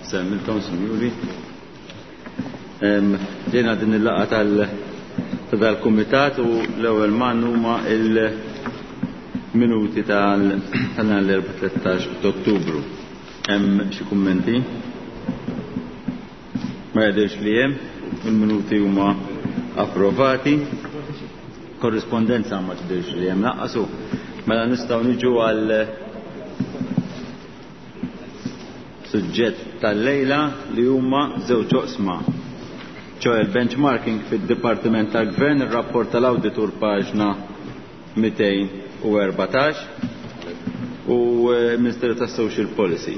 Semmilkom, sinjuri. Ġejna din il-laqgħa tal ta' dal-kumitat u l-ewwel man huma il-minuti tal-4 13 ta' Ottubru. Hemm xi kummenti? Ma jidhirx li hemm, il-minuti huma approvati. Korrispondenza ma tidhirx li hemm naqqasu. Mela nistgħu niġu għal suġġett tal-lejla li huma żewġ oqsma. ċoe il-benchmarking fid-Dipartiment tal-Gvern, ir-rapport tal-Awditur paġna 214 u Ministeru tas-Social Policy,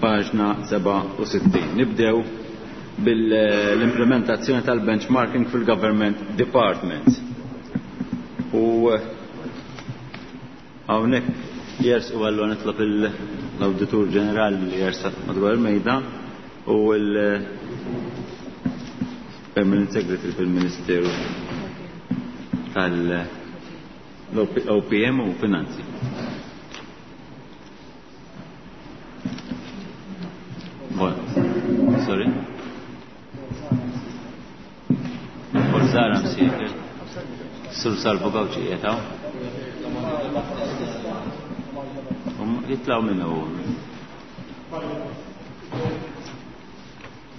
paġna 67. Nibdew bil-implementazzjoni tal-benchmarking fil-Government Departments. U hawnhekk jersqu għallu nitlob l-Awditur Ġenerali li jersaq madwar il-mejda u l-Permanent Secretary fil-Ministeru tal-OPM u Finanzi. Bon. Sorry? Forzara msiefer. Sur Salvo Gawċi jetaw. Jitlaw minnu.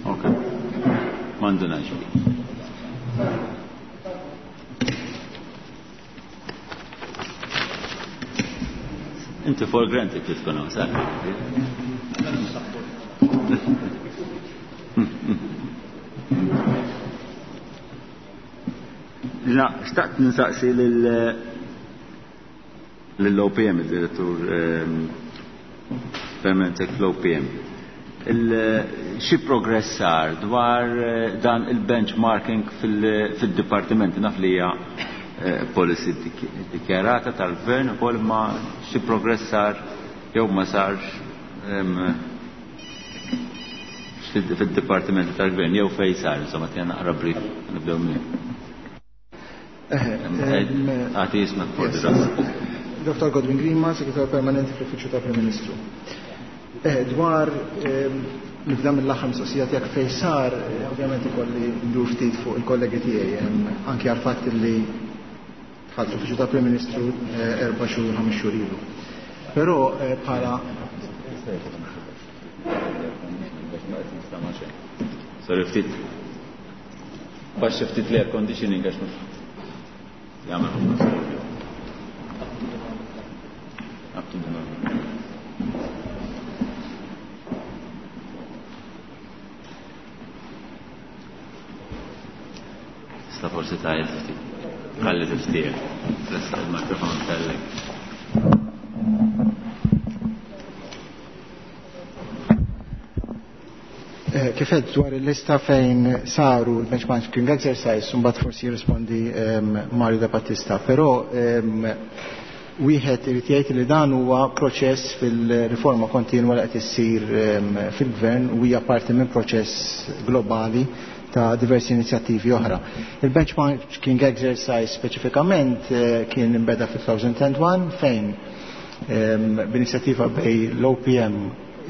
Ok. Mandunax. Inti for granted li tkun hawn, sa? La, xtaqt nsaqsi lill-OPM, il-direttur permanent fl-OPM. Xi progress sar dwar dan il-benchmarking fil-dipartimenti naf li hija policy dikjarata tal-gvern ukoll ma xi progress sar jew ma sarx fid-dipartimenti tal-gvern jew fejn sar, insomma tina naqra brief nibdew minn. Għati jismek forsi ras. Dr. Godwin Grima, Segretarju Permanenti fl-Uffiċċju tal-Prim Ministru. Dwar nibda mill-aħħar mistoqsija tiegħek fejn sar, ovvjament ikolli ndur ftit fuq il-kollegi tiegħi, anki għal fatt li dħalt l-Uffiċċju tal-Prim Ministru 4 xhur, 5 xhur ilu. Però bħala Sorry, ftit. Baxx ftit l-air conditioning għax mhux jagħmel ħafna storbju. Up to the normal. Sta forsi tajjeb ftit. Ħalli tiftieh. Tressaq il-mikrofon tellek. Kif għedt dwar il-lista fejn saru l-benchmarking exercise, mbagħad forsi jirrispondi Mario De Battista, però wieħed irid jgħid li dan huwa proċess fil-riforma kontinwa li qed issir fil-gvern u hija parti minn proċess globali ta' diversi inizjattivi oħra. Il-benchmarking exercise speċifikament kien imbeda fil-2001 fejn b'inizjattiva bej l-OPM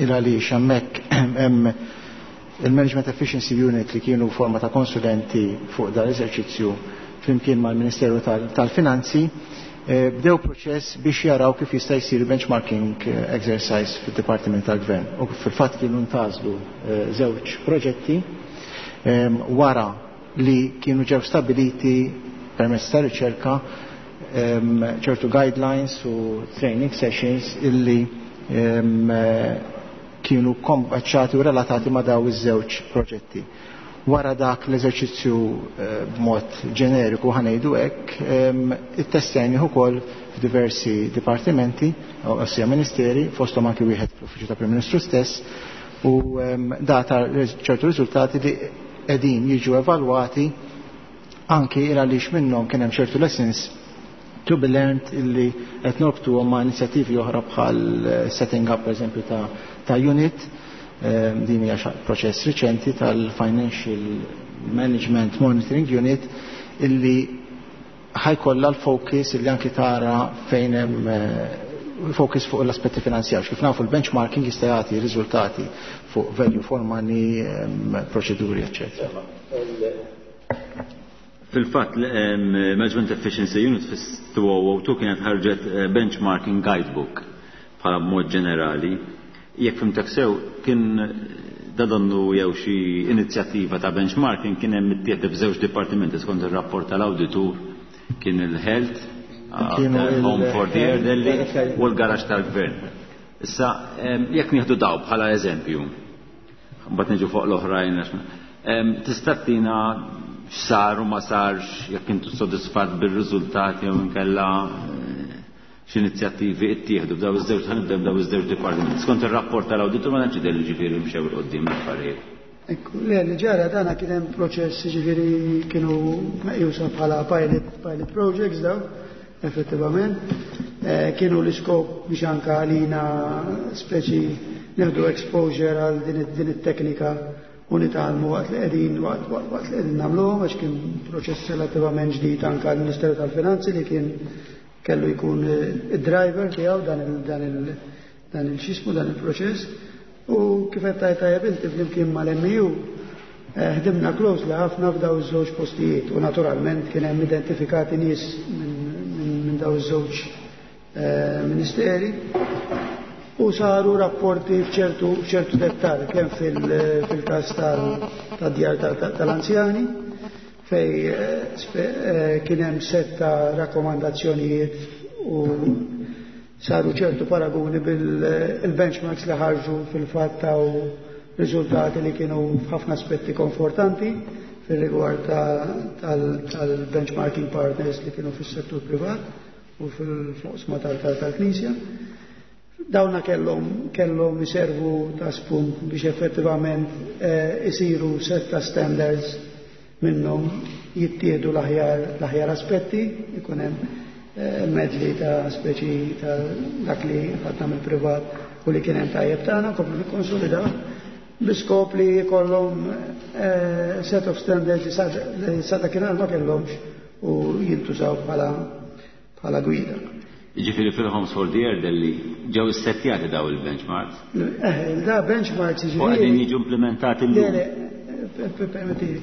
il għaliex hemmhekk hemm il-Management Efficiency Unit li kienu forma ta' konsulenti fuq dan l-eżerċizzju flimkien mal-Ministeru tal-Finanzi, bdew proċess biex jaraw kif jista' jsir benchmarking exercise fid-Dipartiment tal-Gvern. U fil-fatt kienu ntażlu żewġ proġetti wara li kienu ġew stabiliti permezz ta' riċerka ċertu guidelines u training sessions illi kienu kombaċċati u relatati ma' daw iż-żewġ proġetti. Wara dak l-eżerċizzju b'mod ġeneriku ħanejdu hekk, ittestjajnih ukoll f'diversi dipartimenti, ossia ministeri, fosthom anki wieħed fl-Uffiċċju tal-Prim Ministru stess, u data ċertu riżultati li qegħdin jiġu evalwati anki il għaliex minnhom kien hemm ċertu lessons to be learned illi qed norbtuhom ma' inizjattivi oħra bħal setting up pereżempju ta' unit. Din hija proċess riċenti tal-Financial Management Monitoring Unit illi ħajkollha l-focus illi anki tara fejn hemm Focus fuq l-aspetti finanzjarji. Kif nafu, l-benchmarking jista' jagħti riżultati fuq value for money, proċeduri, eccetera. Fil-fatt, Management Efficiency Unit fis-2002 kienet ħarġet benchmarking guidebook bħala mod ġenerali. Jekk fhimtek sew, kien da donnu jew xi inizjattiva ta' benchmarking kien hemm ittieħed f'żewġ dipartimenti skont ir-rapport tal-awditur, kien il-health, Home for the Elderly u l-garaxx tal-gvern. Issa, jekk nieħdu daw bħala eżempju, mbagħad niġu fuq l-oħrajn, tista' tina x'sar u ma sarx, jekk intu sodisfatt bir-riżultati jew inkella x'inizjattivi ttieħdu f'daw iż-żewġ, ħa nibdew daw iż-żewġ dipartimenti? Skont ir-rapport tal-awditur ma tantx jidher li ġifieri mxew 'il quddiem l-affarijiet. Ekku, le, li ġara dana kien hemm proċess, ġifieri kienu meqjusa bħala pilot projects daw, effettivament. Kienu l-iskop biex anka għalina speċi nieħdu exposure għal din it-teknika u nitgħallmu waqt li qegħdin nagħmluhom, għax kien proċess relattivament ġdid anka għall-Ministeru tal-Finanzi li kien kellu jkun id-driver tiegħu dan il-xismu dan il-proċess. U kif qed tajt tajjeb inti, flimkien mal-MEU ħdimna closely ħafna f'daw iż-żewġ postijiet u naturalment kien hemm identifikati nies minn daw iż-żewġ ministeri u saru rapporti f'ċertu dettal kemm fil-każ tad-djar tal-anzjani fej kien hemm set ta' rakkomandazzjonijiet u saru ċertu paragoni bil-benchmarks li ħarġu, fil-fatt taw riżultati li kienu f'ħafna aspetti konfortanti fil-rigward tal-benchmarking partners li kienu fis-settur privat u fil-oqsma tal-Knisja. Dawna kellhom iservu ta' spunt biex effettivament isiru set ta' standards, minnhom jittieħdu l-aħjar aspetti, ikun hemm medley ta' speċi ta' dak li ħadna mill-privat u li kien hemm tajjeb tagħna, komplu nikkonsolidaw bi skop li jkollhom set of standards li sa dakinhar ma kellhomx u jintużaw bħala gwida. Ġifieri fil-Homes for the Elderly ġew issettjati daw il-benchmarks? Da benchmarks ġifieri. U qegħdin jiġu implementati llum. Le, permettili.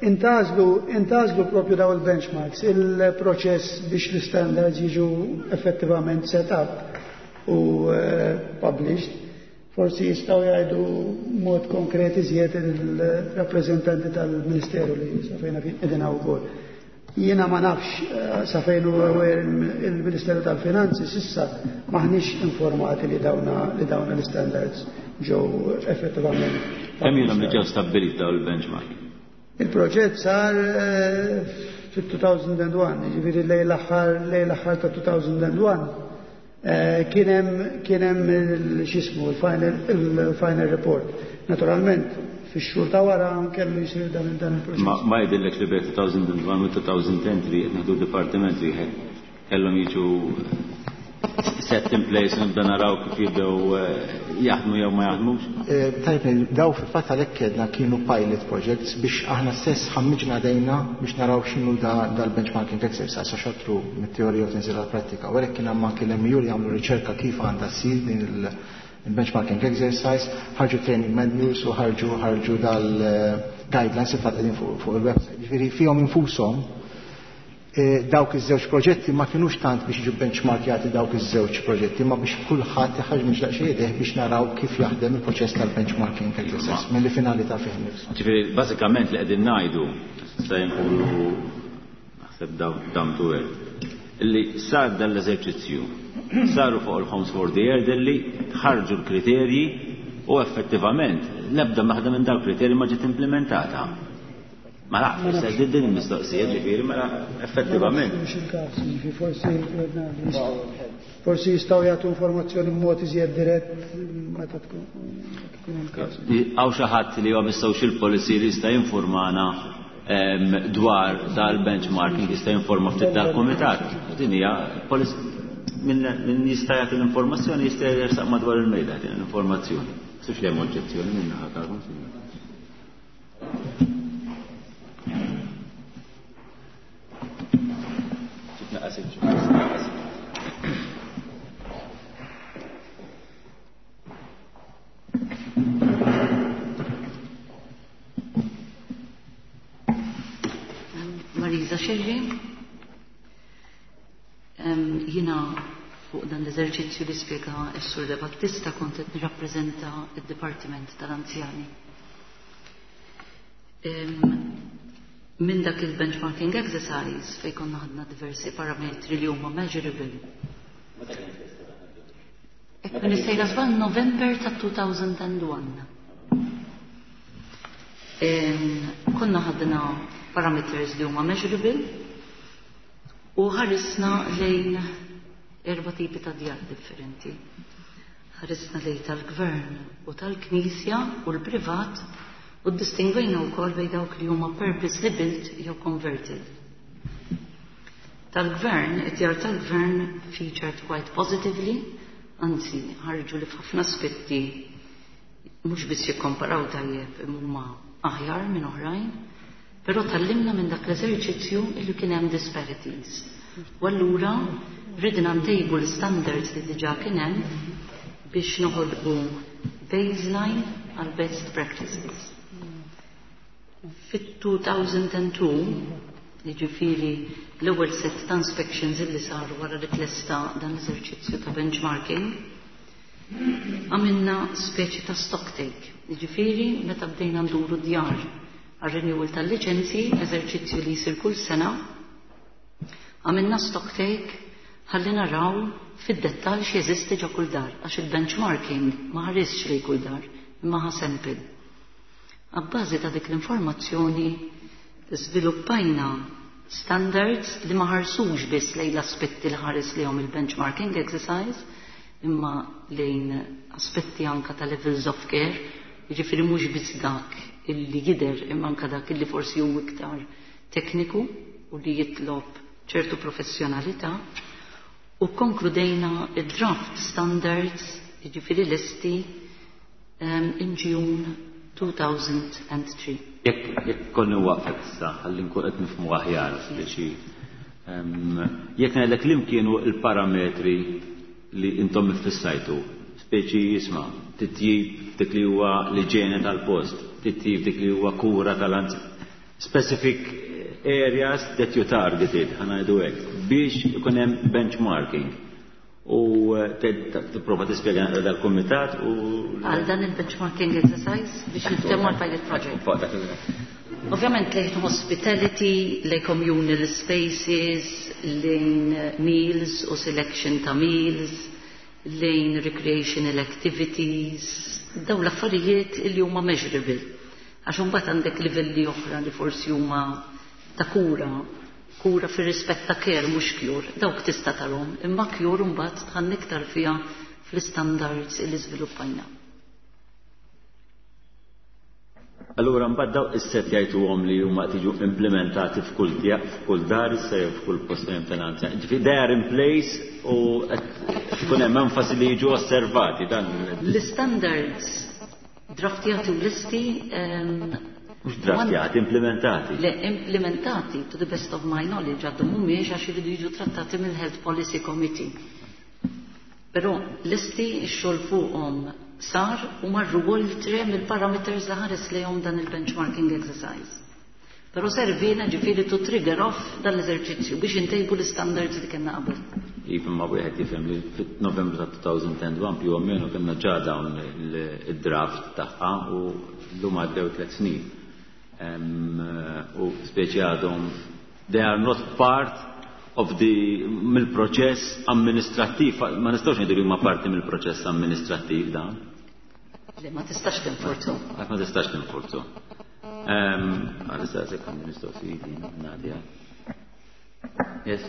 Intgħażlu propju daw il-benchmarks, il-proċess biex l-standards jiġu effettivament set up u published. Forsi jistgħu jgħidu mod konkret iżjed il-rappreżentanti tal-Ministeru li sa fejn qegħdin wkoll. Jiena ma nafx sa fejn hu il-Ministeru tal-Finanzi, s'issa maħniex informati li dawna l-standards ġew effettivament. Kemm ilhom li ġew stabbiliti daw il-benchmark? Il-proġett sar fit-2001, ġifieri lejn l-aħħar ta' 2001 kien hemm x'ismu il-final report. Naturalment, fix-xhur ta' wara kellu jsir dan il-proċess. Ma jidhirlek li bejn 2001 u 2010 li qed nieħdu dipartiment wieħed kellhom jiġu set in place, nibda naraw kif jibdew jaħdmu jew ma jaħdmux? Tajb, daw fil-fatt għalhekk kedna kienu pilot projects biex aħna stess ħammiġna dejna biex naraw x'inhu dal-benchmarking exercise, għax xotru mit-teorija u tinżil għal-prattika. U għalhekk kien hemm anke l-MEU li għamlu riċerka kif għandha ssir din il-benchmarking exercise, ħarġu training manuals u ħarġu dal-guidelines, il-fatt qegħdin fuq il-website. Ġifieri fihom infushom dawk iż-żewġ proġetti ma kienux tant biex jiġu benchmarkjati dawk iż-żewġ proġetti, ma biex kulħadd iħaġ daqsxejn ideh biex naraw kif jaħdem il-proċess tal-benchmarking exercise milli finalità fih nifsu. Ġifieri bażikament li qegħdin ngħidu se nkunu naħseb down to earth, illi sar dan l-eżerċizzju, saru fuq il-Homes for the Elderly, ħarġu l-kriterji u effettivament l-ebda waħda minn dawn kriterji ma ġiet implementata. Ma nafx, se din il-mistoqsija ġifieri, mela effettivament. Mhux il-każ, ġifieri forsi jistgħu jagħtu informazzjoni b'mod iżjed dirett meta tkun il-każ. Hawn xi ħadd li huwa mis-social policy li jista' jinformana dwar dal-benchmarking, jista' jinforma ftit dal-kumitat? Din hija min jista' jagħti l-informazzjoni jista' jersaq madwar il-mejda din l-informazzjoni. Sux li hemm oġġezzjoni minn naħa tagħkom, sinjur. Scerri. Jiena fuq dan l-eżerċizzju li spjega s-Sur De Battista kont qed nirrappreżenta d-Dipartiment tal-Anzjani. Minn dak il-benchmarking exercise fejn konna ħadna diversi parametri li huma measurable. Jekk m'iniex sejra żball, November ta' 2001. Konna ħadna parameters li huma measurable u ħarisna lejn erba' tipi ta' djar differenti. Ħarisna lejn tal-gvern u tal-knisja u l-privat u ddistingwejna wkoll bejn dawk li huma purposely built jew converted. Tal-gvern, id-djar tal-gvern featured quite positively, anzi ħarġu li f'ħafna aspetti mhux biss jikkomparaw tajjeb imma huma aħjar minn oħrajn, però tgħallimna minn dak l-eżerċizzju illi kien hemm disparities. U allura ridna ntejbu l-standards li diġà kien hemm biex noħolqu baseline għal best practices. Fit-2002, jiġifieri l-ewwel set ta' inspections illi saru wara li tlesta dan l-eżerċizzju ta' benchmarking, għamilna speċi ta' stock take. Jiġifieri meta bdejna nduru djar għal renewal tal-liċenzji, eżerċizzju li jsir kull sena, għamilna stock take ħalli naraw fid-dettall x'jeżisti ġo kull dar, għax il-benchmarking ma ħarisx lejn kull dar, imma ħa sample. Abbażi ta' dik l-informazzjoni żviluppajna standards li ma ħarsux biss lejn l-aspetti li ħares lejhom il-benchmarking exercise, imma lejn aspetti anka ta' levels of care, jiġifieri mhux biss dak illi jidher imma anka dak illi forsi hu iktar tekniku u li jitlob ċertu professjonalità, u konkludejna id-draft standards, jiġifieri lesti in June 2003. Jekk konni waqfek issa, ħalli nkun qed nifhmu aħjar speċi. Jekk ngħidlek li kienu l-parametri li intom iffissajtu, speċi jisma' titjib dik li huwa l-iġene tal-post, titjib dik li huwa kura tal-anzjan. Specific areas that you targeted, ħa ngħidu hekk, biex ikun hemm benchmarking. U tipprova tispjega dal-kumitat u Għal dan il-benchmarking exercise biex niftehmu għal pilot project. Fuq dak il- Ovvjament lejn hospitality, lejn communal spaces, lejn meals u selection ta' meals, lejn recreational activities, daw l-affarijiet li huma measurable. Għax imbagħad għandek livelli oħra li forsi huma ta' kura, kura fir rispett ta' care mhux cure, dawk tista' tarhom, imma cure mbagħad tħann iktar fiha fl-standards li żviluppajna. Allura mbagħad daw is-set jgħiduhom li huma tiġu implementati f'kull f'kull dar issa jew f'kull post fejn finanzja. Ġifieri they are in place u qed ikun hemm enfasi li jiġu osservati dan. L-standards draftjati u listi Mhux draftjati, implementati. Le, implementati, to the best of my knowledge, għadhom mhumiex għax iridu jiġu trattati mill-Health Policy Committee. Però listi x-xogħol fuqhom sar u marru oltre mill-parameters li ħares lejhom dan il-benchmarking exercise. Però servina ġifieri to trigger off dan l-eżerċizzju biex intejbu l-standards li kellna qabel. Iva, ma wieħed jifhem li fit-Novembru ta' 2001 più o meno kellna ġa dawn il-draft tagħha u llum għaddew 3 snin. U speċi għadhom they are not part of the mill-proċess amministrattiv, ma nistgħux ngħidu li huma parti mill-proċess amministrattiv dan. Le, ma tistax tinforzu. Ma tistax tinforzu. Għalissa se kan mistoqsijiet Nadia. Yes.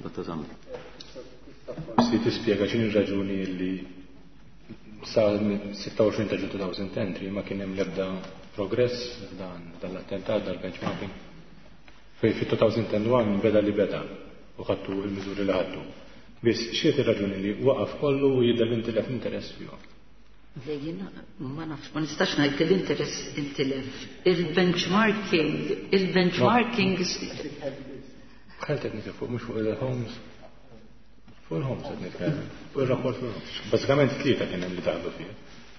Dottor Zammi. Forsi tispjega x'inhi r-raġuni li sa 26 ta' Ġunju 2010 ma kien hemm l-ebda progress dan l-attentat dal-benchmarking. Fej fit-2001 beda li beda u ħadtu il-miżuri li ħadtu. Biss x'inhi ir-raġuni li waqaf kollu u jidher li intilef interess fihom? Le, jiena ma nafx, ma nistax ngħid li l-interess intilef. Il-benchmarking Ħalt qed nitkellem fuq mhux fuq il-homes. Fuq il-homes qed nitkellem, fuq ir-rapport fuq il-homes. Bażikament tlieta kien hemm li daħlu fih.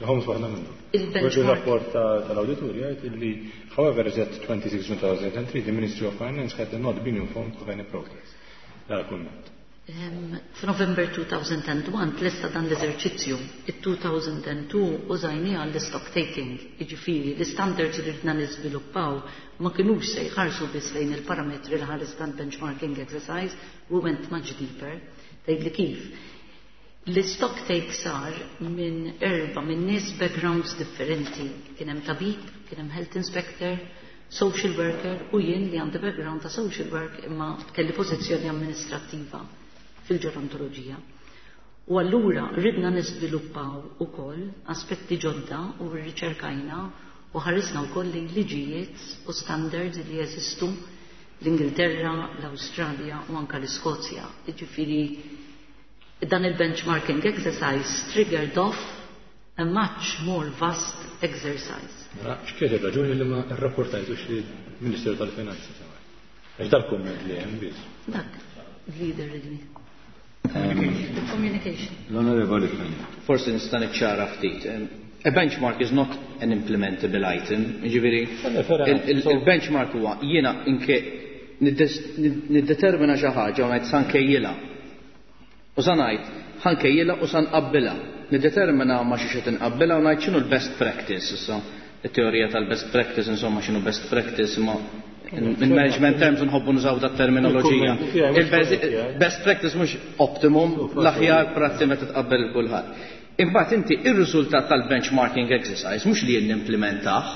Il-Homes waħda minnhom. Il-benchmark. Il-rapport tal-awditur jgħid illi however as at 26 June 2003 the Ministry of Finance had not been informed of any progress. Dal-kumment. F'November 2001 tlesta dan l-eżerċizzju. It-2002 użajnieh għall-stock taking, jiġifieri l-istandards li ridna niżviluppaw ma kinux se jħarsu biss lejn il-parametri li ħares dan benchmarking exercise, we went much deeper. Tgħidli kif? L-stock take sar minn erba' minn nies backgrounds differenti. Kien hemm tabib, kien hemm health inspector, social worker u jien li għandi background ta' social work imma kelli pożizzjoni amministrattiva fil-ġerontoloġija. U allura ridna niżviluppaw ukoll aspetti ġodda u rriċerkajna u ħarisna wkoll lejn liġijiet u standards li jeżistu l-Ingilterra, l-Awstralja u anka l-Iskozja. Jiġifieri dan il-benchmarking exercise triggered off a much more vast exercise. Mela, x'kienet ir-raġuni li ma rrapportajtux lill-Ministeru tal-Finanzi? Għax dal-kumment li hemm biss. Dak, leader li. The communication. L-Onorevoli Fenech. Forsi nista' niċċara ftit. A benchmark is not an implementable item. Jiġifieri, il-benchmark huwa jiena inke niddetermina xi ħaġa u ngħid sa nkejjilha. U sa ngħid ħa nkejjilha u sa nqabbilha. Niddetermina ma' xi qed inqabbilha u ngħid x'inhu l-best practice issa. It-teorija tal-best practice, insomma x'inhu best practice imma in management terms nħobbu nużaw dat terminoloġija. Il-best practice mhux optimum, l-aħjar prassi meta tqabbel il kulħadd. Imbagħad inti ir-riżultat tal-benchmarking exercise mhux li jien nimplementah,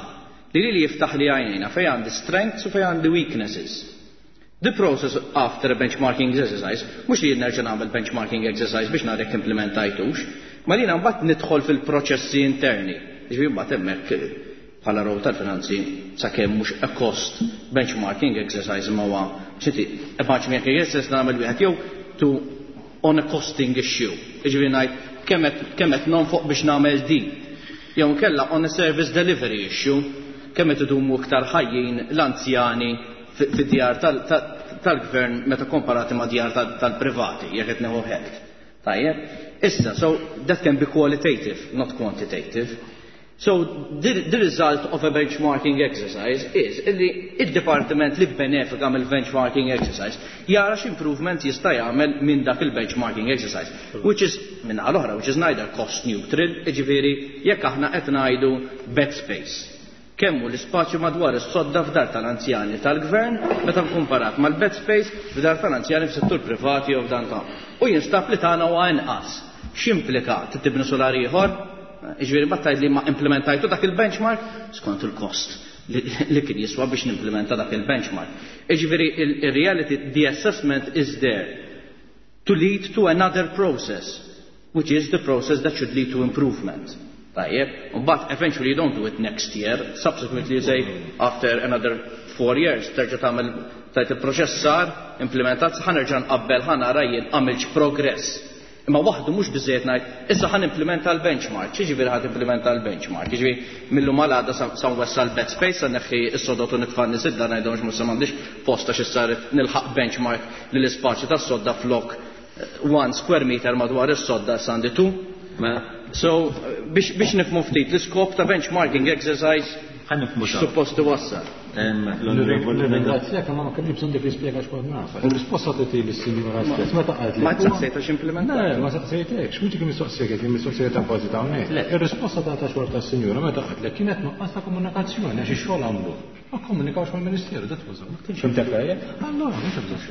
li li jiftaħ li għajnejna fejn għandi strengths u fejn għandi weaknesses. The process after a benchmarking exercise, mhux li jien nerġa' nagħmel benchmarking exercise biex nara jekk implementajtux, ma li mbagħad nidħol fil-proċessi interni. Jiġifieri mbagħad hemmhekk bħala row tal-finanzi sakemm mhux a cost benchmarking exercise ma huwa xinti a benchmarking exercise nagħmel wieħed jew to on a costing issue. Jiġifieri ngħid kemm qed nonfoq biex nagħmel din. Jew inkella on a service delivery issue, kemm qed idumu iktar ħajjin l-anzjani fid-djar tal-gvern meta komparati ma' djar tal-privati, jekk qed nieħu health. Tajjeb? Issa, so that can be qualitative, not quantitative. So the result of a benchmarking exercise is illi il-departiment li benefika mill-benchmarking exercise jara x'improvement jista' jagħmel minn dak il-benchmarking exercise, which is minn l-oħra, which is neither cost neutral, jiġifieri jekk aħna qed ngħidu bed space. Kemm hu l-ispazju madwar is-sodda f'dar tal-anzjani tal-gvern meta komparat mal-bed space f'dar tal-anzjani f'settur privati jew f'dan ta'. U jinstab li tagħna huwa inqas. X'implika tibni solar ieħor? Jiġifieri mbagħad tgħid li ma implementajtu dak il-benchmark skont il-kost li kien jiswa biex nimplementa dak il-benchmark. Jiġifieri il-reality, the assessment is there to lead to another process, which is the process that should lead to improvement. Tajjeb, but eventually you don't do it next year, subsequently you say after another 4 years, terġa' tagħmel tajt il-proċess sar, implementat, ħa nerġa' nqabbel, ħa nara jien għamilx progress. Imma waħdu mhux biżejjed ngħid, issa ħa nimplementa l-benchmark. X'jiġifieri ħa timplementa l-benchmark? Jiġifieri millu malada sa nwessa l-bed space, sa neħħi s-sodot u nitfa' nies id-dar ngħidhom mhux m'għandix posta xi saret nilħaq benchmark li l-ispazju tas-sodda flok 1 square meter madwar is-sodda sa għandi 2. So biex nifhmu ftit l-iskop ta' benchmarking exercise Ħa nifhmu x'hawn. suppost iwassal. L-Onorevoli Ringrazzjak, ma ma kellix bżonn dik l-ispjega x'kont naf. Il-risposta tagħti lis-sinjura stess meta qalet li Ma tsaqsejtax implementat. Le, ma saqsejtekx, mhux dik il-mistoqsija kienet il-mistoqsija ta' bażi ta' hawnhekk. Le. Ir-risposta ta' xogħol tas-sinjura meta qalet kienet nuqqas ta' komunikazzjoni għax ix-xogħol għamlu. Ma komunikawx mal-Ministeru, that was all. Fimtek tajjeb? Allora, mhux hemm bżonn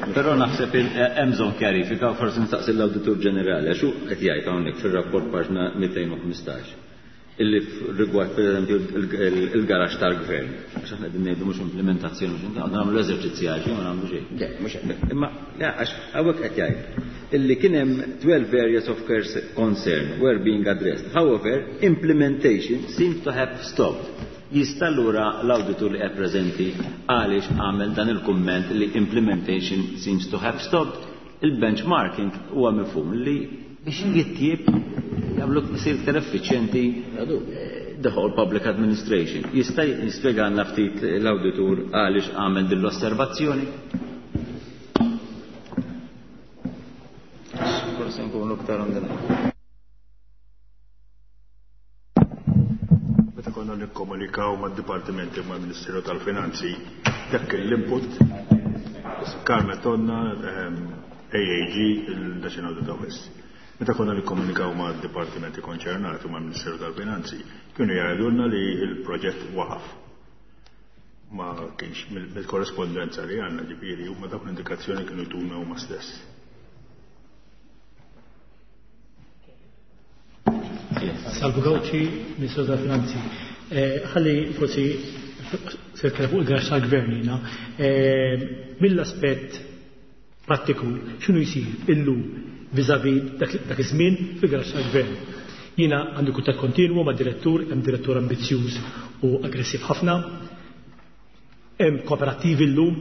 xejn. Però naħseb hemm bżonn kjarifika u forsi nistaqsi l-Awditur Ġenerali għax hu qed jgħid hawnhekk fir-rapport paġna 215 illi rigward per eżempju il-garax tal-gvern. Għax aħna qegħdin ngħidu mhux implementazzjoni, mhux għandna nagħmlu eżerċizzji għal xejn, ma nagħmlu xejn. Le, mhux hekk. Imma, le, għax hawnhekk qed jgħid illi kien hemm 12 areas of concern were being addressed. However, implementation seems to have stopped. Jista' allura l-awditur li qed preżenti għaliex għamel dan il-kumment li implementation seems to have stopped. Il-benchmarking huwa mifhum li biex jitjieb jagħmlu isir iktar effiċjenti the whole public administration. Jista' jispjegalna ftit l-awditur għaliex għamel din l-osservazzjoni? Forse nkunu iktar on the line. konna nikkomunikaw mad-dipartimenti u mal-Ministeru tal-Finanzi dak kien l-input. Carmen Tonna, AAG, il-National Audit Office. Meta konna nikkomunikaw mad-dipartimenti konċernati u mal-Ministeru tal-Finanzi, kienu jgħidulna li l-proġett waqaf. Ma kienx mill-korrespondenza li għandna, ġifieri huma dawk l-indikazzjoni kienu jtuna huma stess. Salvu Gauci, Ministru tal-Finanzi. Ħalli forsi se nitkellem fuq il-garaxx tal-Gvern jiena. Mill-aspett prattiku, x'inhu jsir illum vis-à-vis dak iż-żmien fil-garaxx tal-Gvern? Jiena għandi kuntatt kontinwu mad-direttur, hemm direttur ambizzjuż u aggressiv ħafna. Hemm kooperattivi llum,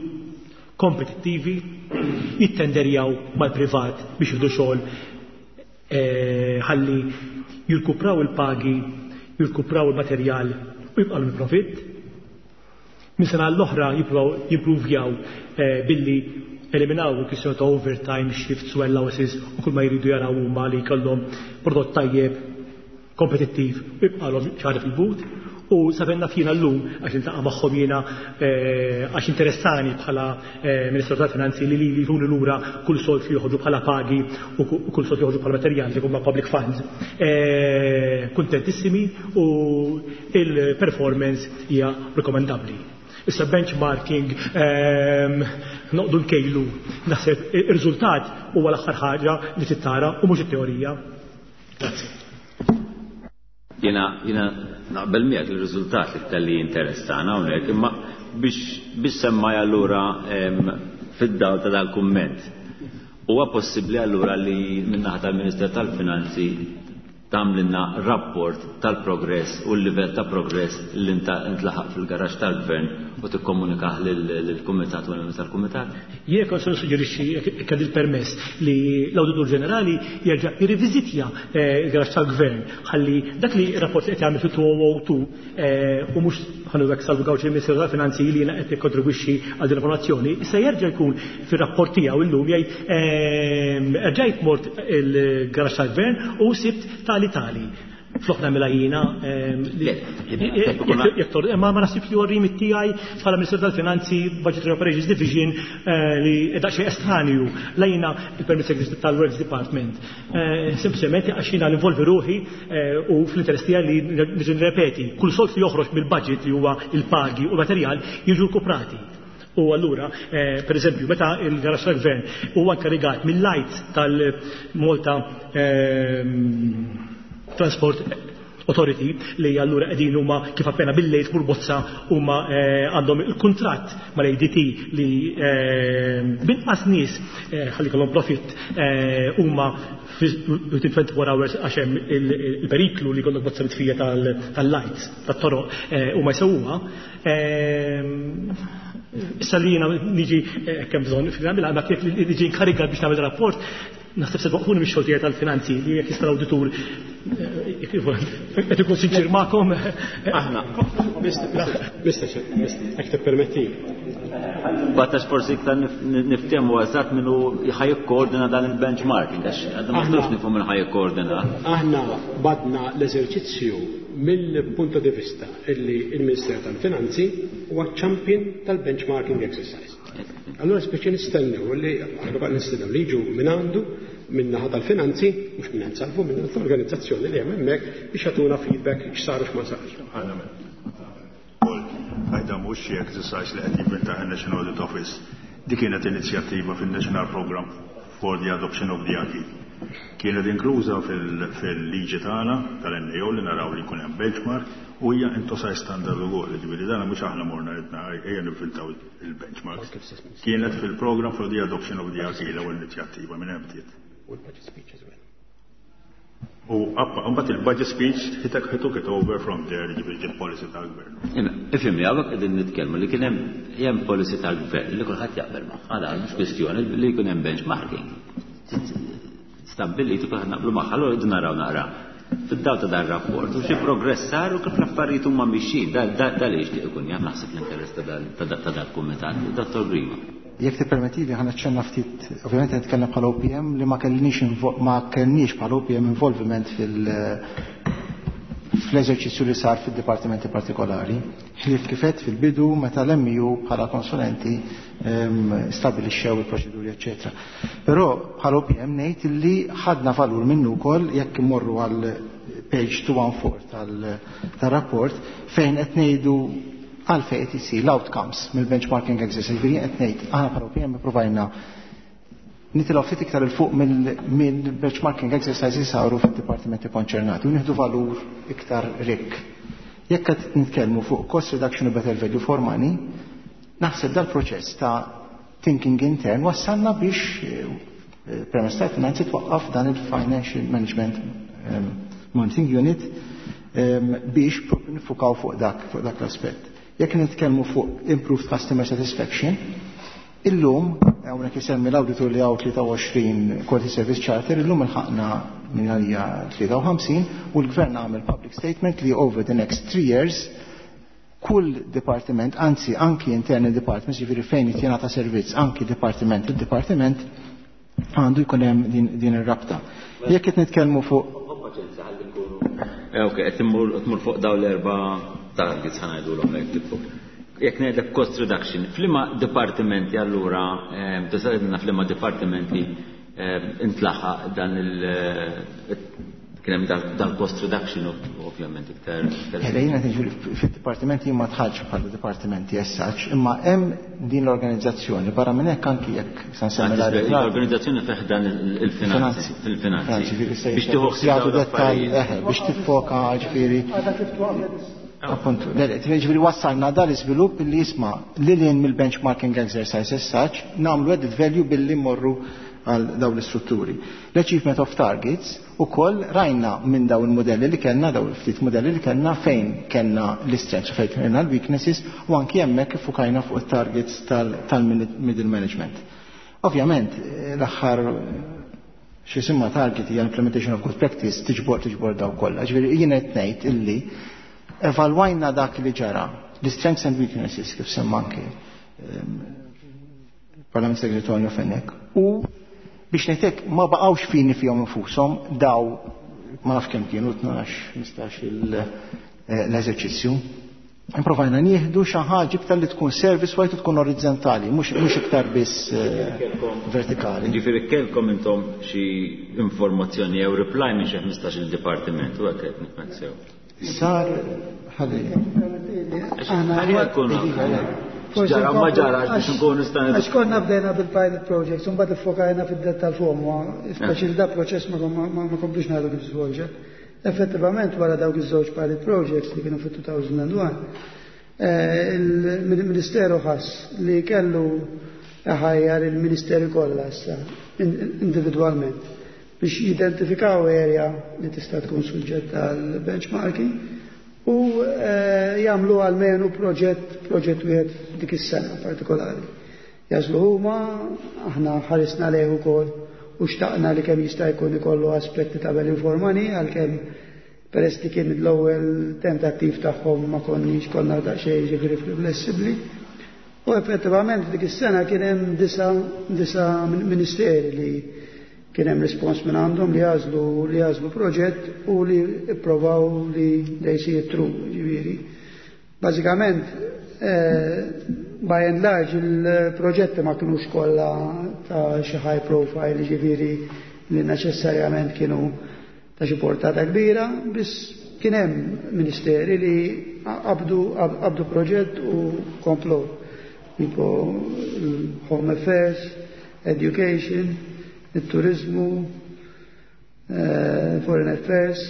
kompetittivi, jittenderjaw mal-privat biex jieħdu xogħol ħalli jirkupraw il-pagi, jirkupraw il-materjal u jibqgħu il-profitt. Minn sena l-oħra jippruvaw jimpruvjaw billi eliminaw il-kwistjoni ta' overtime, shifts u allowances u kull ma jridu jaraw huma li jkollhom prodott tajjeb, kompetittiv u jibqgħalhom ċari fil-but. U sa fejn naf jiena llum, għax niltaqa' magħhom jiena għax interessani bħala Ministru tal-Finanzi li li jtuni lura kull sold li joħorġu bħala pagi u kull sold li joħorġu bħala materjal li huma public funds. Kuntentissimi u il-performance hija rekomendabbli. Issa benchmarking, noqdu nkejlu, naħseb ir-riżultat huwa l-aħħar ħaġa li tittara u mhux it-teorija. Grazzi. Jiena naqbel miegħek li r-riżultat iktar li jinteressana hawnhekk, imma biex semmaj allura fid-dawl ta' dal-kumment. Huwa possibbli allura li min-naħa tal-Minister tal-Finanzi tagħmlilna rapport tal-progress u l-livell ta' progress li intlaħaq fil-garaxx tal-Gvern u tikkomunikah lill-Kumitat u l-membri tal-Kumitat? Jien kont se nissuġġerixxi, jekk għandi l-permess, li l-Awditur Ġenerali jerġa' jirriviżitja l-garaxx tal-Gvern ħalli dak li rapport li qed jagħmel fit-2002 u mhux ħa ngħidu hekk Salvu Gauci il-Ministeru tal-Finanzi li jiena qed nikkontribwixxi għal din l-informazzjoni, issa jerġa' jkun fir-rapport tiegħu illum jgħid erġajt mort il-garaxx tal-Gvern u sibt tali tali. Flok nagħmilha jiena, jekk ma naħsibx li huwa r-remit tiegħi bħala Ministru tal-Finanzi Budgetary Operations Division li daqsxejn estranju lejna il-Permit Secretary tal-Works Department. Sempliċement għax jiena ninvolvi ruħi u fl-interess tiegħi li niġi nirrepeti kull sold li joħroġ mill-budget li huwa il-pagi u l-materjal jiġu rkuprati. U allura, per eżempju, meta il-garaxx tal-Gvern huwa inkarigat mill-lights tal-Malta Transport Authority li allura qegħdin huma kif appena bil-lejl tmur bozza huma għandhom il-kuntratt mal-ADT li binqas nies ħalli jkollhom profitt huma within 24 hours għax hemm il-periklu li jkollok bozza mitfija tal-lights tat-toroq huma jsewwuha. Issa li jiena niġi kemm bżonn fil-għamilha, ma kif li niġi inkarigat biex nagħmel rapport, naħseb se twaqqfuni mix-xogħol tiegħi tal-finanzi li jekk jista' l-awditur qed ikun sinċir magħkom. Aħna. Mister, mister, jekk tippermetti. Battax forsi iktar niftehmu eżatt minnu ħa jikkoordina dan il-benchmarking, għax għadna ma nistgħux nifhmu min ħa jikkoordina. Aħna badna l-eżerċizzju mill-punto di vista illi il-Ministeru tal-Finanzi huwa champion tal-benchmarking exercise. Allora speċi nistennew li aħna baqgħna nistennew li jiġu minn għandu minn naħa tal-finanzi, mhux minn għand Salvu, minn l-organizzazzjoni li hemm hemmhekk biex jagħtuna feedback x'sar u x'ma sarx. Għajda mhux xi exercise li qed jivvinta in-National Audit Office. Dik kienet inizjattiva fin-National Programme for the Adoption of the Acquis. Kienet inkluża fil-liġi tagħna tal-NAO li naraw li jkun hemm benchmark u hija INTOSAI standard ukoll, jiġifieri dan mhux aħna morna ridna ejja nivvintaw il-benchmarks. Kienet fil-program for the adoption of the acquis l-ewwel inizjattiva minn hemm bdiet. U l-budget speech as well. U mbagħad il-budget speech he took it over from there, jiġifieri ġiet policy tal-gvern. Ifhimni, hawnhekk qegħdin nitkellmu li kien hemm policy tal-gvern li kulħadd jaqbel magħha, dan mhux kwistjoni li jkun hemm benchmarking. Stabbiliti kulħadd naqblu magħha, allura rridu naraw naqra fid-dawl ta' dan rapport u xi progress sar u kif l-affarijiet huma mixjin, da li jixtieq ikun jaf naħseb l-interess ta' dal-kumitat. Dottor Grima. Jekk tippermettili ħa naċċenna ftit, ovvjament qed nitkellem bħala OPM li ma kellniex bħala OPM involviment fl-eżerċizzju li sar fid-dipartimenti partikolari. Ħlief kif għedt fil-bidu meta l-MU bħala konsulenti stabilixxew il-proċeduri, eċetera. Però bħala OPM ngħid li ħadna valur minnu wkoll jekk immorru għal page 214 tal-rapport fejn qed ngħidu għalfejn qed isir l-outcomes mill-benchmarking exercise. Ġifieri qed ngħid aħna bħala OPM ippruvajna nitilgħu ftit iktar 'il fuq mill-benchmarking exercises li saru fid-dipartimenti konċernati u nieħdu valur iktar rikk. Jekk qed nitkellmu fuq cost reduction u better value for money, naħseb dal-proċess ta' thinking intern wassalna biex permezz tal-finanzi twaqqaf dan il-Financial Management Monitoring Unit biex propju nifukaw fuq dak l-aspett. Jekk nitkellmu fuq improved customer satisfaction, illum, hawnhekk isemmi l-auditor li hawn 23 Quality Service Charter, illum ilħaqna minn għalija 53 u l-gvern għamel public statement li over the next 3 years kull departiment, anzi anki internal departments, ġifieri fejn jingħata servizz, anki departiment il-departiment għandu jkun hemm din ir-rabta. Jekk qed nitkellmu fuq Ok, qed tmur fuq daw l-erba' targets, ħa ngħidulhom hekk, tipo. Jekk ngħidlek cost reduction, f'liema dipartimenti allura, tista' tgħidilna f'liema dipartimenti intlaħaq dan il kien hemm dal-cost reduction ovvjament iktar? Jiena tiġi fid-dipartimenti ma dħaltx bħala dipartimenti as such, imma hemm din l-organizzazzjoni barra minn hekk anki jekk se nsemmi l-organizzazzjoni fih dan il-finanzi, fil-finanzi. Biex tieħu ħsieb dettall, biex tiffoka, ġifieri. Appuntu, ġifieri wassalna dal-iżvilupp li jisma' li lin mill-benchmarking exercise as such, nagħmlu added value billi morru għal daw l-istrutturi. L-achievement of targets u koll rajna minn daw il-modelli li kellna, daw il-ftit modelli li kellna, fejn kellna l-strengths u fejn kellna l-weaknesses, u anki hemmhekk iffukajna fuq il-targets tal-middle management. Ovvjament, l-aħħar xi target hija implementation of good practice, tiġbor daw kollha. Ġifieri jiena qed ngħid illi evalwajna dak li ġara, l-strengths and weaknesses kif semma anki Parlament Segretarju Fenech, u biex ngħidlek ma baqgħux fini fihom infushom daw, ma naf kemm kienu, 12, 15 l-eżerċizzju. Improvajna nieħdu xi ħaġa iktar li tkun service wide u tkun orizzontali, mhux iktar biss vertikali. Ġifieri kellkom intom xi informazzjoni jew reply minn xi 15 il-dipartiment u hekk qed nifhem sew? Sar ħalli. Ħalli jkunu ġara ma ġara biex nkunu nistgħu. Għax konna bdejna bil-pilot projects, un mbagħad iffokajna fid-dettal fuq, speċi da proċess ma komplix ngħidu kif żvolġa. Effettivament, wara dawk iż-żewġ pilot projects li kienu fit-2001, il-Ministeru ħass li kellu ħajjar il-Ministeri kollha issa individwalment biex jidentifikaw area li tista' tkun suġġett għal benchmarking u jagħmlu almenu proġett wieħed dik is-sena partikolari. Jagħżlu huma, aħna ħarisna lejh ukoll u xtaqna li kemm jista' jkun ikollu aspetti ta' value for money, għalkemm peress li kien l-ewwel tentattiv tagħhom ma konniex konna daqsxejn, ġifieri, flessibbli. U effettivament dik is-sena kien hemm disa' ministeri li kien hemm respons minn għandhom li jagħżlu proġett u li ipprovaw li they see it through, ġifieri. Bażikament, by and large, il-proġetti ma kienux kollha ta' xi high profile, ġifieri li neċessarjament kienu ta' xi portata kbira, biss kien hemm ministeri li qabdu proġett u komplu. Tipo Home Affairs, Education, il-turizmu, Foreign Affairs.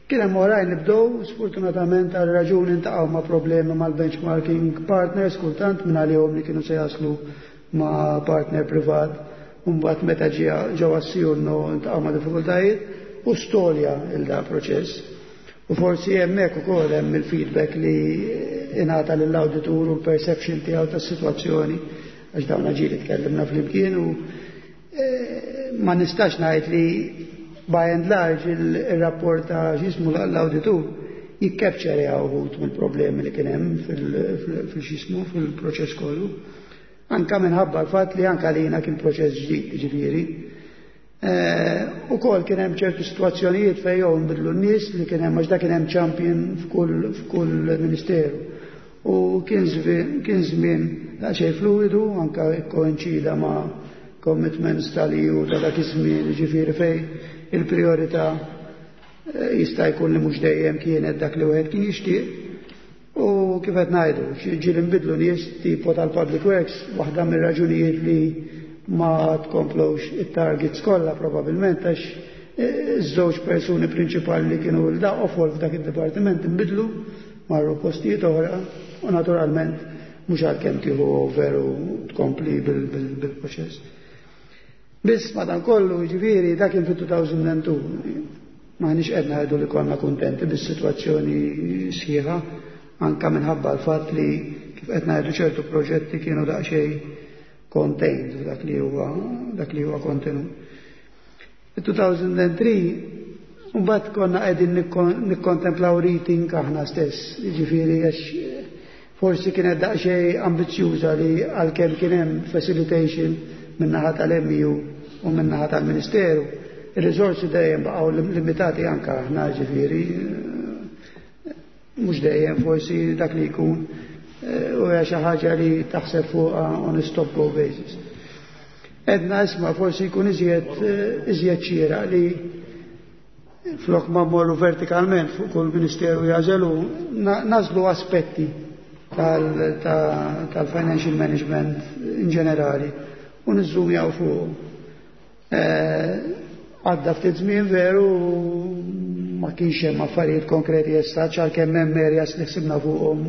Kien hemm oħrajn li bdew, sfortunatament għal raġuni ntaqgħu ma' problemi mal-benchmarking partners, kultant minn għalihom li kienu se jaslu ma' partner privat, u mbagħad meta ġew assijurnu ntaqgħu ma' diffikultajiet u stallja il-da proċess. U forsi hemmhekk ukoll hemm il-feedback li ingħata lill-awditur u l-perception tiegħu tas-sitwazzjoni, għax dawn ġieli tkellimna flimkien u ma nistax ngħid li by and large il-rapport ta' x'jismu l-awditur jikkapċerja uħud mill-problemi li kien hemm fil-x'jismu fil-proċess kollu. Anka minħabba l-fatt li anka lina kien proċess ġdid, ġifieri. Ukoll kien hemm ċertu sitwazzjonijiet fejn jew nbidlu n-nies li kien hemm, għax da kien hemm champion f'kull ministeru. U kien żmien daqsxejn fluidu, anke koinċida ma' commitments tal-EU ta' dak iż-żmien, jiġifieri fejn il-priorità jista' jkun li mhux dejjem kienet dak li wieħed kien jixtieq. U kif qed ngħidu, ġieli nbidlu nies tipo tal-Public Works, waħda mir-raġunijiet li ma tkomplux it-targets kollha probabbilment għax iż-żewġ persuni prinċipali li kienu l-daqofol f'dak id-dipartiment inbidlu, marru postijiet oħra u naturalment mhux għalkemm tieħu over u tkompli bil-proċess. Biss madankollu, jiġifieri dak kien fit-2002. M'aħniex qed ngħidu li konna kuntenti bis-sitwazzjoni sħiħa, anka minħabba l-fatt li kif qed ngħidu ċertu proġetti kienu daqsxejn contained dak li huwa kontenut. Fit-2003 mbagħad konna qegħdin nikkontemplaw rethink aħna stess, jiġifieri għax forsi kienet daqsxejn ambizzjuża li għalkemm kien hemm facilitation min-naħa tal-MEU u min-naħa tal-Ministeru, ir-riżorsi dejjem baqgħu limitati anke aħna, ġifieri mhux dejjem forsi dak li jkun u hija xi ħaġa li taħseb fuqha on a stop go basis. Edna isma' forsi jkun iżjed xieraq li flok ma mmorru vertikalment fuq kull ministeru jażelu, nażlu aspetti tal-financial management in ġenerali u niżżumjaw fuq. Għadda ftit żmien veru ma kienx hemm affarijiet konkreti issa, għalkemm hemm areas li ħsibna fuqhom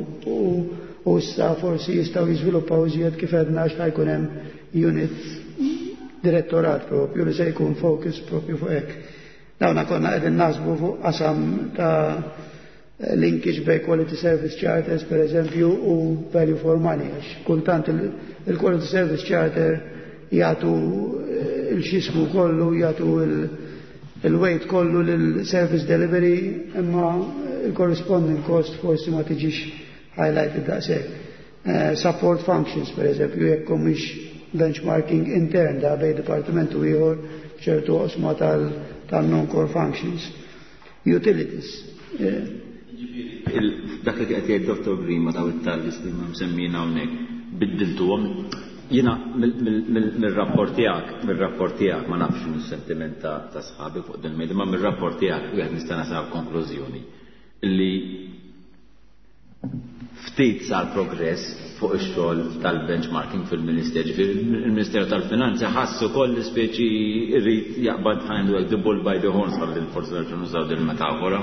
u issa forsi jistgħu jiżviluppaw iżjed kif għedna għax ħajkun hemm unit direttorat propju li se jkun focus propju fuq hekk. Dawna konna qegħdin naħsbu fuq qasam ta' linkage bej quality service charters per eżempju u value for money, għax kultant il-quality service charter jagħtu il-xismu kollu, jagħtu il-weight kollu lil-service delivery, imma il-corresponding cost forsi ma tiġix highlighted daqshekk. Support functions per eżempju, jekk mhix benchmarking intern da bej dipartiment u ieħor ċertu oqsma tal-non-core functions. Utilities. Dak li qed jgħid Dr. Grima daw it-targets li ma msemmina hawnhekk, biddiltuhom. Jiena mir-rapport tiegħek, mir-rapport tiegħek ma nafx x'inhu s-sentiment ta' sħabi fuq din il-mejda, ma mir-rapport tiegħek wieħed nista' nasal konklużjoni li ftit sar progress fuq ix-xogħol tal-benchmarking fil-Ministeru. Ġifieri il-Ministeru tal-Finanzi ħass ukoll li speċi jrid jaqbad ħajndu the bull by the horns, ħalli forsi nerġgħu nużaw din il-metafora.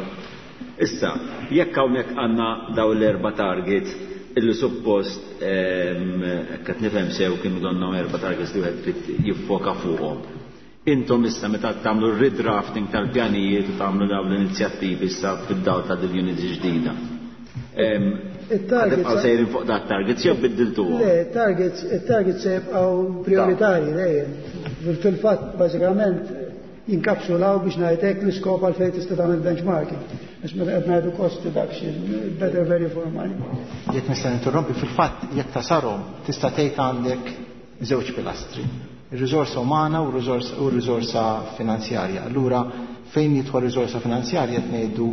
Issa, jekk hawnhekk għandna daw l-erba' targets illi suppost qed nifhem sew kienu donnhom erba' targets li wieħed trid jiffoka fuqhom. Intom issa meta tagħmlu r-redrafting tal-pjanijiet u tagħmlu dawn l-inizjattivi issa fid-dawl ta' din unit ġdida. Il-targets Tibqgħu sejrin fuq dat targets jew biddiltuhom? Le, il-targets se jibqgħu prioritarji dejjem. Fil-fatt bażikament jinkapsulaw biex ngħidlek l-iskop għal fejn tista' tagħmel benchmarking. Għax meta qed ngħidu cost reduction, better value for money. Jekk nista' ninterrompi, fil-fatt jekk tasarhom tista' tgħid għandek żewġ pilastri. Ir-riżorsa umana u r-riżorsa finanzjarja. Allura fejn jidħol riżorsa finanzjarja qed ngħidu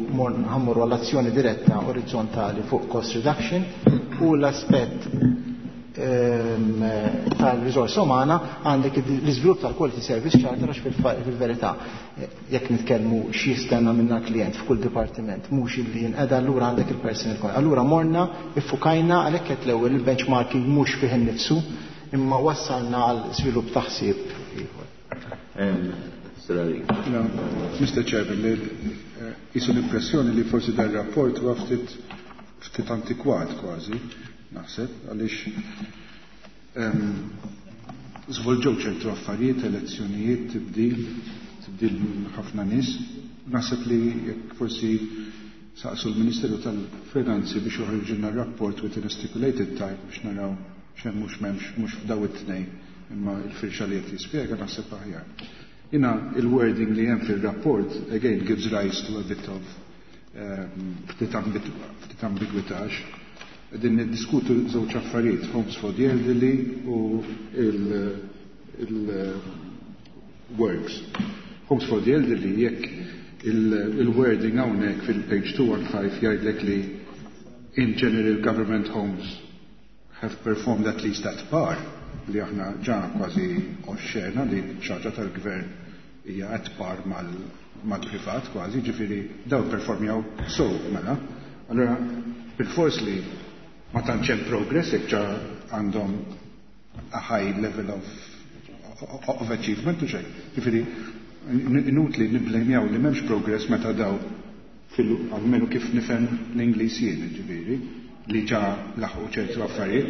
ħammorru għall-azzjoni diretta orizzontali fuq cost reduction u l-aspett tal-riżorsa umana għandek l-iżvilupp tal-Quality Service Charter, għax fil-verità jekk nitkellmu x'jistenna minna klient f'kull dipartiment mhux illi jinqeda, allura għandek il-personal cost. Allura morna iffukajna għalhekk qed l-ewwel il-benchmarking mhux fih innifsu imma wassalna għal żvilupp ta' ħsieb ieħor. No, Mr. Chairman, jisu l-impressjoni li forsi dar rapport huwa ftit antikwat kważi, naħseb, għaliex żvolġew ċertu affarijiet, elezzjonijiet, tibdil ħafna nies. Naħseb li jekk forsi saqsu l-Ministeru tal-Finanzi biex joħorġilna rapport within a stipulated time biex naraw x'hemm mhux m'hemmx mhux f'daw it-tnejn imma l-firxa li qed jispjega naħseb aħjar. Jina il-wording li hemm fil-rapport again gives rise to a bit of ftit ambigwità. Qegħdin niddiskutu żewġ affarijiet, Homes for the Elderly u works. Homes for the Elderly, jekk il-wording hawnhekk fil-page 215 jgħidlek li in general government homes have performed at least at par, li aħna ġa kważi oxxena li xaġa tal-gvern hija at par mal-privat kważi, ġifieri daw performjaw so mela. Allora, bil-fors li ma tantx hemm progress jekk ġa għandhom a high level of achievement u xejn. Ġifieri inutli nibblejmjaw li m'hemmx progress meta daw fil almenu kif nifhem l-Ingliż jien, ġifieri, li ġa laħqu ċertu affarijiet.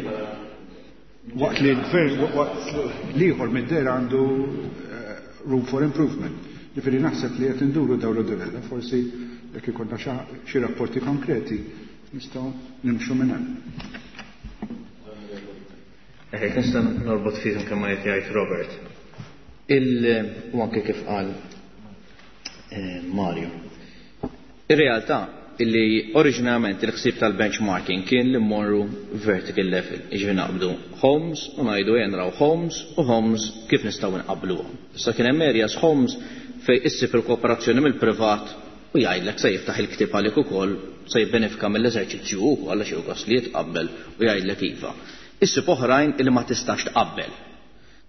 Waqt li l-gvern, waqt l-ieħor mid-dehra għandu room for improvement. Ġifieri naħseb li qed induru dawru durella, forsi jekk ikollna xi rapporti konkreti nistgħu nimxu minn hemm. Jekk nista' norbot fih anke ma qed jgħid Robert. U anke kif qal Mario. Ir-realtà illi oriġinarjament il-ħsieb tal-benchmarking kien li mmorru vertical level, jiġifieri naqbdu homes u ngħidu ejja nraw homes u homes kif nistgħu nqabbluhom. Issa kien hemm areas homes fejn issib il-kooperazzjoni mill-privat u jgħidlek se jiftaħ il-ktieb għalik ukoll, se jibbenefika mill-eżerċizzju wkoll għax hu gost li jitqabbel u jgħidlek iva. Issib oħrajn illi ma tistax tqabbel.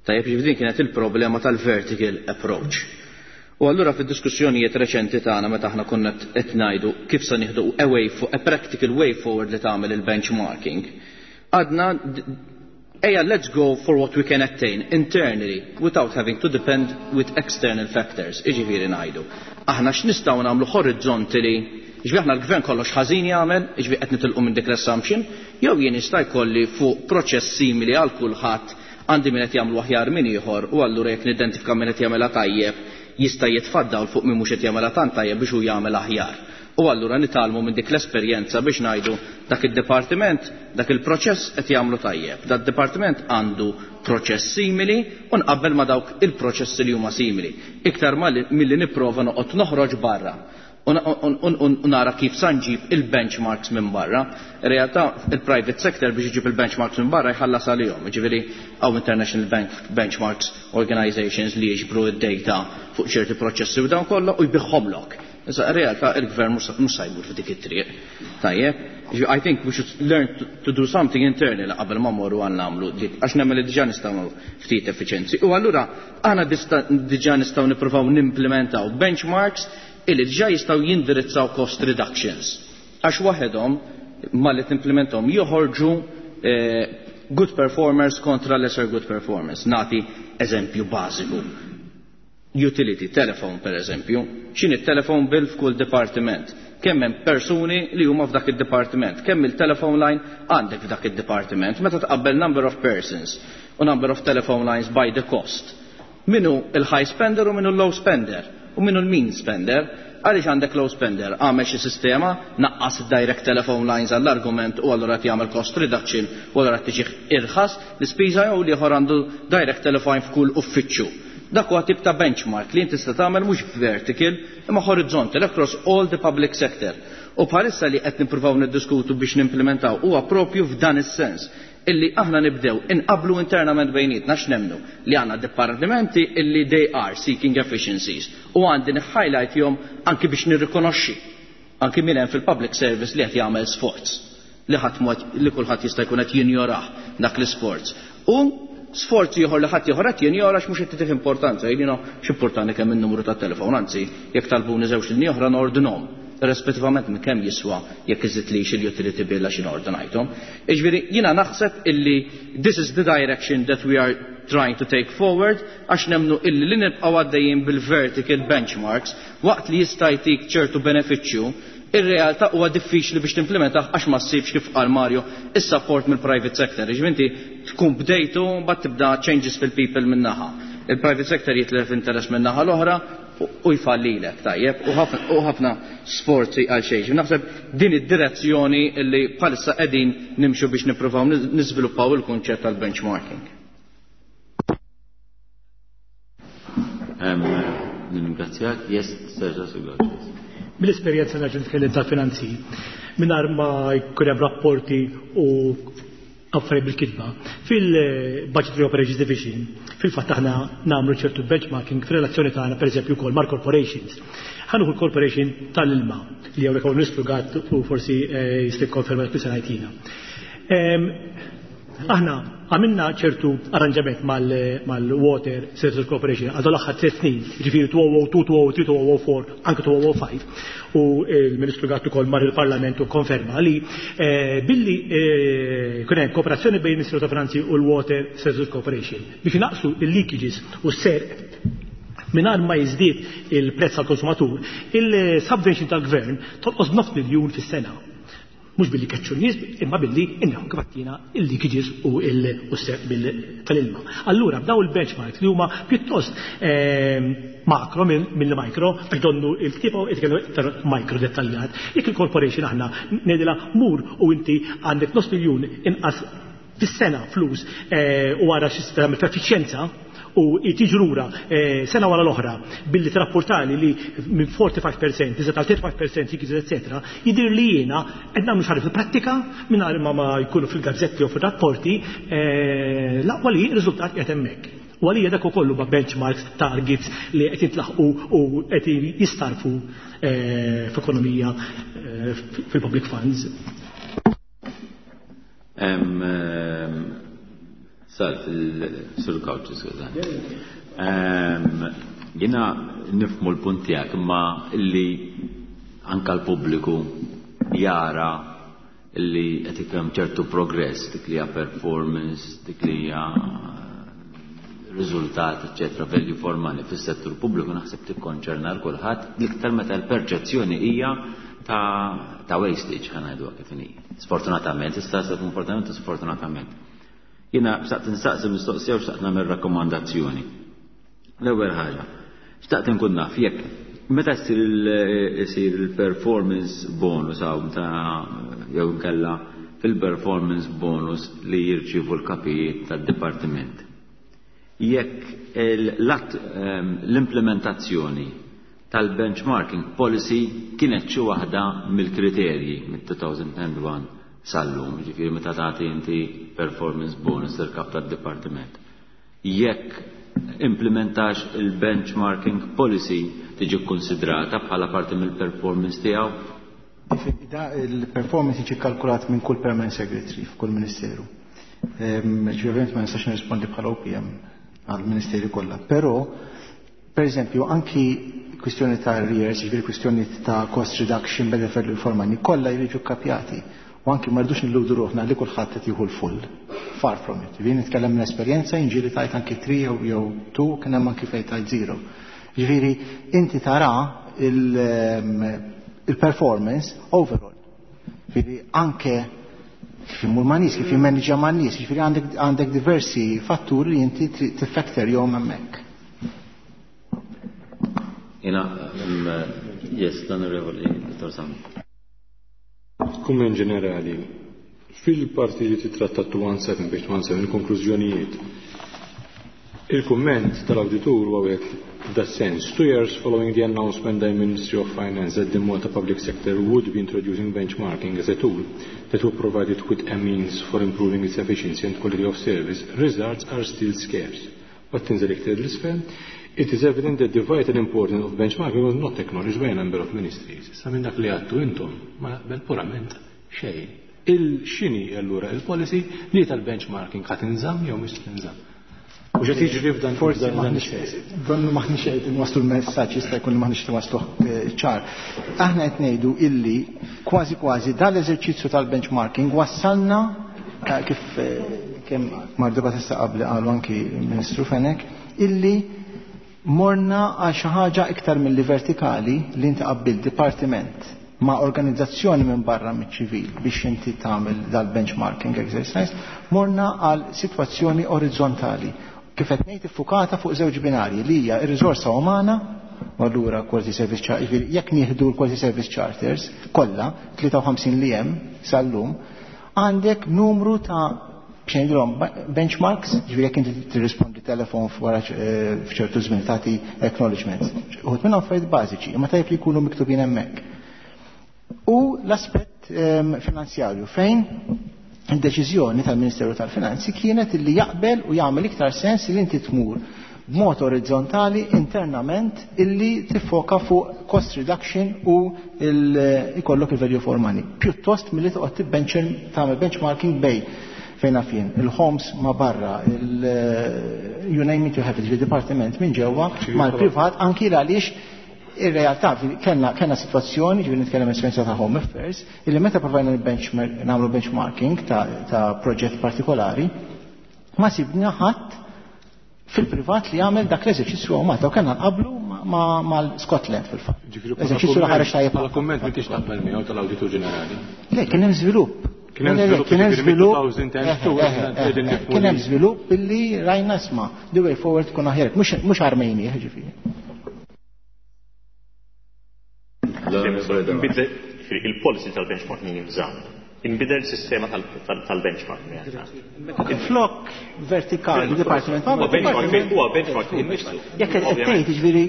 Tajjeb, jiġifieri din kienet il-problema tal-vertical approach. U allura fid-diskussjonijiet reċenti tagħna meta aħna konna qed ngħidu kif se nieħdu a way a practical way forward li tagħmel il-benchmarking, għadna ejja let's go for what we can attain internally without having to depend with external factors. Jiġifieri ngħidu. Aħna x'nistgħu nagħmlu horizontally, jiġifieri aħna l-gvern kollox ħażin jagħmel, jiġifieri qed nitilqu minn dik l-assumption, jew jien jista' jkolli fuq proċess simili għal kulħadd għandi min qed jagħmlu aħjar minn ieħor u allura jekk nidentifika min qed jagħmilha tajjeb jista' jitfaddaw fuq min mhux qed jagħmilha tant tajjeb biex hu jagħmel aħjar. U allura nitgħallmu minn dik l-esperjenza biex ngħidu dak id-dipartiment, dak il-proċess qed jagħmlu tajjeb. Dak id-dipartiment għandu proċess simili u nqabbel ma' dawk il-proċessi li huma simili. Iktar milli nipprova noqgħod noħroġ barra u nara kif sa nġib il-benchmarks minn barra. In realtà il-private sector biex iġib il-benchmarks minn barra jħallas għalihom. Jiġifieri hawn International Bank Benchmarks Organizations li jiġbru id-data fuq ċerti proċessi u dawn kollha u jbiħħomlok. Issa in realtà il-gvern mhux se jmur f'dik it-triq. Tajjeb, I think we should learn to do something internally qabel ma mmorru għal nagħmlu dik, għax nemmen li diġà nistgħu ftit effiċenzi. U allura aħna diġà nistgħu nippruvaw nimplementaw benchmarks illi diġà jistgħu jindirizzaw cost reductions. Għax waħedhom malli timplementhom joħorġu good performers kontra lesser good performers. Nati eżempju bażiku. Utility, telephone per eżempju. X'inhi telephone bill f'kull dipartiment? Kemm hemm persuni li huma f'dak id-dipartiment? Kemm il-telephone line għandek f'dak id-dipartiment? Meta tqabbel number of persons u number of telephone lines by the cost. Minu il-high spender u minu l-low spender? U minu l-mean spender? Għaliex għandek low spender? Għamel xi sistema, naqqas direct telephone lines għall-argument u allura qed jagħmel cost reduction u allura qed tiġi irħas l-ispiża jew l-ieħor għandu direct telephone f'kull uffiċċju. Dak huwa tip ta' benchmark li inti tista' tagħmel mhux vertical imma horizontal across all the public sector. U bħalissa li qed nippruvaw niddiskutu biex nimplementaw huwa propju f'dan is-sens illi aħna nibdew inqablu internament bejnietna x'nemmnu li għandna dipartimenti illi they are seeking efficiencies u għandi highlight jom anki biex nirrikonoxxi anki min hemm fil-public service li qed jagħmel sforz li ħadd mod li kulħadd jista' jkun qed jinjorah dak l-isforz. U sforzi ieħor li ħadd ieħor qed jinjora x'mhux qed titih importanza, jiena x'importani kemm in-numru tat-telefon, anzi jekk talbuni żewġ linji oħra nordinhom, irrispettivament minn kemm jiswa jekk iżidlix il-utility bill għax ordinajthom. Jiġifieri jiena naħseb illi this is the direction that we are trying to take forward għax nemmnu illi li nibqgħu għaddejjin bil-vertical benchmarks waqt li jista' jtik ċertu benefiċċju, ir-realtà huwa diffiċli biex timplementah għax ma ssibx kif qal Mario is-support mill-private sector. Jiġifieri inti tkun bdejtu mbagħad tibda changes fil-people min-naħa. Il-private sector jitlef interess min-naħa l-oħra u jfallilek, tajjeb, u ħafna sforzi għal xejn. Naħseb din id-direzzjoni li bħalissa qegħdin nimxu biex nippruvaw niżviluppaw il-kunċett tal-benchmarking. Ningrazzjak, yes, Serġa Sugaċ. Mill-esperjenza nerġa' nitkellem tal-finanzi, mingħajr ma jkun hemm rapporti u Affarijiet bil-kitba. Fil-Budgetary Operations Division, fil-fatt aħna nagħmlu ċertu benchmarking fir-relazzjoni tagħna pereżempju wkoll mal-corporations. Ħa nieħu l-corporation tal-ilma li hawnhekk hawn Ministru Gatt u forsi jista' jikkonferma dak li se ngħid jiena. Aħna għamilna ċertu arranġament mal-Water Services Corporation għal l-aħħar 3 snin, ġifieri 2002, 2003, 2004, anke 2005. U l-Ministru Gatt ukoll mar il-Parlament u konferma li billi kien hemm kooperazzjoni bejn il-Ministeru ta' Finanzi u l-Water Services Corporation biex naqsu il-leakages u s-serq mingħajr ma jiżdied il-prezz għall-konsumatur, il-subvention tal-gvern tonqos 9 miljun fis-sena. Mhux billi keċċu n-nies, imma billi inneħu kif għattina il-leakages u s-serq tal-ilma. Allura, b'daw il-benchmarks li huma pjuttost makro mill micro, għax donnu il-ktieb u jitkellmu iktar micro dettaljat. Jekk il-corporation aħna ngħidilha mur u inti għandek nofs miljun inqas fis-sena flus u għara xi tagħmel f'effiċjenza u tiġi lura sena wara l-oħra billi trapportali li minn 45% iżda tal 35% jiġi eccetera, jidher li jiena qed nagħmlu xi fil-prattika mingħajr ma jkunu fil-gazzetti u fir-rapporti l-aqwa li r-riżultat qiegħed hemmhekk. U għalija dak ukoll huma benchmarks, targets li qed jintlaħqu u qed jistarfu f'ekonomija fil-public funds. Sal fil-Sur Cauchi, skużani. Jiena nifhmu l-punt tiegħek, imma illi anka l-pubbliku jara illi qed ikun hemm ċertu progress, dik li hija performance, dik li hija riżultat, eċċetera, value for money fis-settur pubbliku naħseb tikkonċerna l kulħadd l-iktar meta l-perċezzjoni hija ta' wastage, ħa ngħiduha kif inhi. Sfortunatament, issa se komportament sfortunatament. Jiena xtaqt insaqsi mistoqsija u xtaqt nagħmel rakkomandazzjoni. L-ewwel ħaġa, xtaqt inkun naf jekk meta jsir il-performance bonus hawn ta' jew inkella fil-performance bonus li jirċievu l-kapijiet tad-dipartiment. Jekk l-implementazzjoni tal-benchmarking policy kienet xi waħda mill-kriterji mit-2001 sal-lum, ġifieri meta tagħti inti performance bonus lill-kap tad-dipartiment. Jekk implementax il-benchmarking policy tiġi konsidrata bħala parti mill-performance tiegħu? Da il-performance jiġi kalkulat minn kull permanent secretary f'kull ministeru. Ġifieri ovvjament ma nistax nirrispondi bħala OPM għall-ministeri kollha, però per eżempju anki kwistjoni ta' arrears, ġifieri kwistjoni ta' cost reduction, benefit for money, kollha jriġu kapjati. U anki ma rridux nilludu ruħna li kulħadd qed jieħu l-full. Far from it. Ġifieri nitkellem minn esperjenza, jiġieli tajt anki 3 jew 2, kien hemm anki fejn tajt 0. Ġifieri inti tara il-performance overall. Ġifieri anke kif imur ma' nies, kif jimmanġa ma' nies, ġifieri għandek diversi fatturi li inti tifactor jom hemmhekk. Jiena, yes, l-Onorevoli Dottor Sam. Kumment ġenerali, fil-parti li titratta 217 page 217, il-konklużjonijiet. Il-kumment tal-awditur huwa wieħed f'da sens. 2 years following the announcement by the Ministry of Finance that the Malta public sector would be introducing benchmarking as a tool that would provide it with a means for improving its efficiency and quality of service, results are still scarce. But tinżel iktar l-isfel, it is evident that the vital importance of benchmarking was not acknowledged by a number of ministries. Issa minn dak li għadtu intom, ma naqbel purament xejn. Il-xini allura il-policy li tal-benchmarking ħa tinżamm jew mhux tinżamm. U ġed jiġri f'dan Forsi f'dan donnu maħniex qed inwasslu l-messaġġ, jista' jkun li maħniex inwassluh ċar. Aħna qed ngħidu illi kważi kważi dal-eżerċizzju tal-benchmarking wassalna kif kemm Mardu Batista qabli qalu anki Ministru Fenech, illi morna għal xi ħaġa iktar milli vertikali li inti qabbil dipartiment ma' organizzazzjoni minn barra miċ-ċivil biex inti tagħmel dal-benchmarking exercise, morna għal sitwazzjoni orizzontali kif qed ngħid iffukata fuq żewġ binarji li hija r-riżorsa umana u allura quality service charter, jiġifieri jekk nieħdu l-quality service charters kollha 53 li hemm sal-lum, għandek numru ta' biex benchmarks, ġifieri jekk inti tirrispondi telefon wara f'ċertu żmien tagħti acknowledgements. Uħud minnhom affarijiet bażiċi, imma tajjeb li jkunu miktubin hemmhekk. U l-aspett finanzjarju fejn Id-deċiżjoni tal-Ministeru tal-Finanzi kienet li jaqbel u jagħmel iktar sens li inti tmur b'mod orizzontali internament illi tiffoka fuq cost reduction u ikollok il-value for money. Pjuttost milli toqgħod tibbench tagħmel benchmarking bejn fejn naf jien, il-homes ma barra, you name it you have it, il-dipartiment minn ġewwa mal-privat anki għaliex ir-realtà kellna situazzjoni, ġifieri nitkellem esperjenza ta' Home Affairs, illi meta provajna nagħmlu benchmarking ta' proġett partikolari, ma sibna ħadd fil-privat li jagħmel dak l-eżerċizzju hawn Malta u kellna nqablu mal-Scotland fil-fatt. Eżerċizzju li ħareġ tajjeb. Bħala kumment m'intix taqbel miegħu tal-Awditur Ġenerali. Le, kien hemm żvilupp. Kien hemm żvilupp, Kien hemm jiġifieri żvilupp. mid-2002 qegħdin nifhmu Kien hemm li- żvilupp billi rajna isma' the way forward tkun aħjar, mhux armejni, ġifieri. Inbidel il-policy tal-benchmarking jinżamm. Inbidel sistema tal-benchmarking. Flok vertikali, department. Huwa benchmarking, huwa benchmarking innifsu. Jekk qed tgħid jiġifieri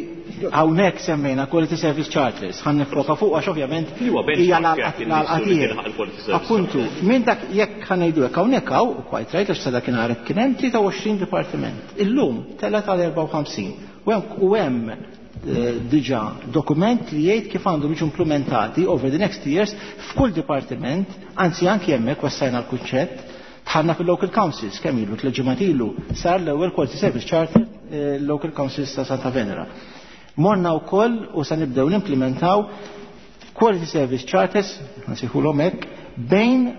hawnhekk semmejna quality service charters, ħa nifoka fuq għax ovvjament Huwa hija benchmark l-għalqa li tiegħek. tilħaq il-quality service Appuntu, minn dak jekk ħa ngħidu hekk hawnhekk hawn, quite right għax sa dakinhar kien hemm 23 dipartiment. Illum telgħet għal 54. U hemm diġà dokument li jgħid kif għandhom jiġu implementati over the next years f'kull dipartiment, anzi anki hemmhekk wassajna l-kunċett, dħalna fil-local councils, kemm ilu, tliet ilu, sar l-ewwel Quality Service Charter local councils ta' Santa Venera. Morna wkoll u sa nibdew nimplementaw Quality Service Charters, nsejħulhom hekk, bejn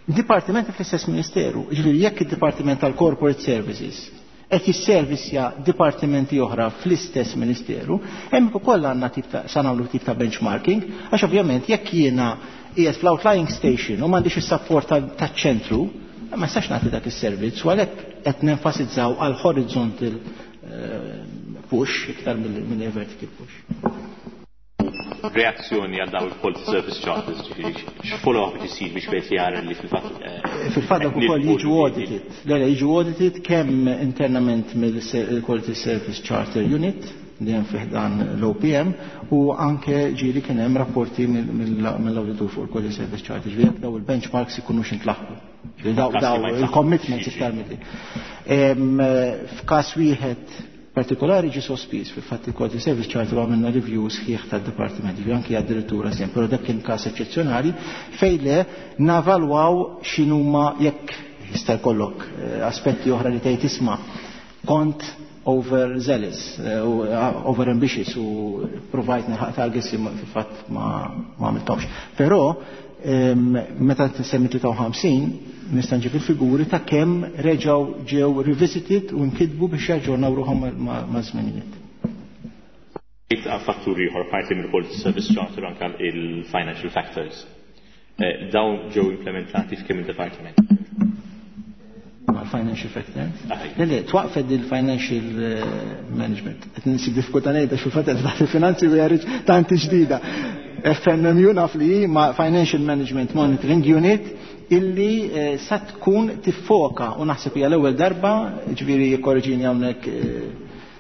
dipartimenti fl-istess ministeru. Ġifieri jekk id-Dipartiment tal-Corporate Services qed jisservisja dipartimenti oħra fl-istess ministeru, hemm ukoll għandna tip ta' sa nagħmlu tip ta' benchmarking, għax ovvjament jekk jiena qiegħed fl-outlying station u m'għandix is-support taċ-ċentru, ma nistax nagħti dak is-servizz u għalhekk qed nenfasizzaw għal horizontal push iktar mill vertical push. Reazzjoni għal daw il-quality service charters, ġifieri x'follow-up qed isir biex wieħed jara li fil-fatt Fil-fatt dak ukoll jiġu audited. Le, jiġu audited kemm internament mill-Quality Service Charter Unit li hemm fih dan l-OPM u anke ġieli kien hemm rapporti mill-auditur fuq il-Quality Service Charter, ġifieri jekk daw il-benchmarks ikunux intlaħqu. Ġifieri daw il-commitments iktar milli. F'każ wieħed partikolari ġi sospiż fil-fatt il-Quality Service Charter għamilna review sħiħ tad-dipartiment, ġifieri anke għad-direttura sem, però dak kien każ eċċezzjonali fejn le navalwaw x'inhuma jekk jista' jkollok aspetti oħra li tgħid isma' kont over zealous, u over ambitious u provajt nilħaq targets li fil-fatt ma għamilthomx. Però meta semmi 53 nista' nġib il-figuri ta' kemm reġgħu ġew revisited u nkitbu biex jaġġornaw ruħhom ma' żminijiet. Fatturi ieħor parti mill-Quality Service Charter anke il-financial factors. Dawn ġew implementati f'kemm il-departiment? Ma' financial factors? Le, le, twaqfet il-financial management. Qed insib diffikultà ngħid għax fil-fatt qed taħt il-finanzi u jarriġ tanti ġdida. FMMU naf li hi ma' Financial Management Monitoring Unit illi sa tkun tiffoka u naħseb hija l-ewwel darba, ġifieri jikkorreġini hawnhekk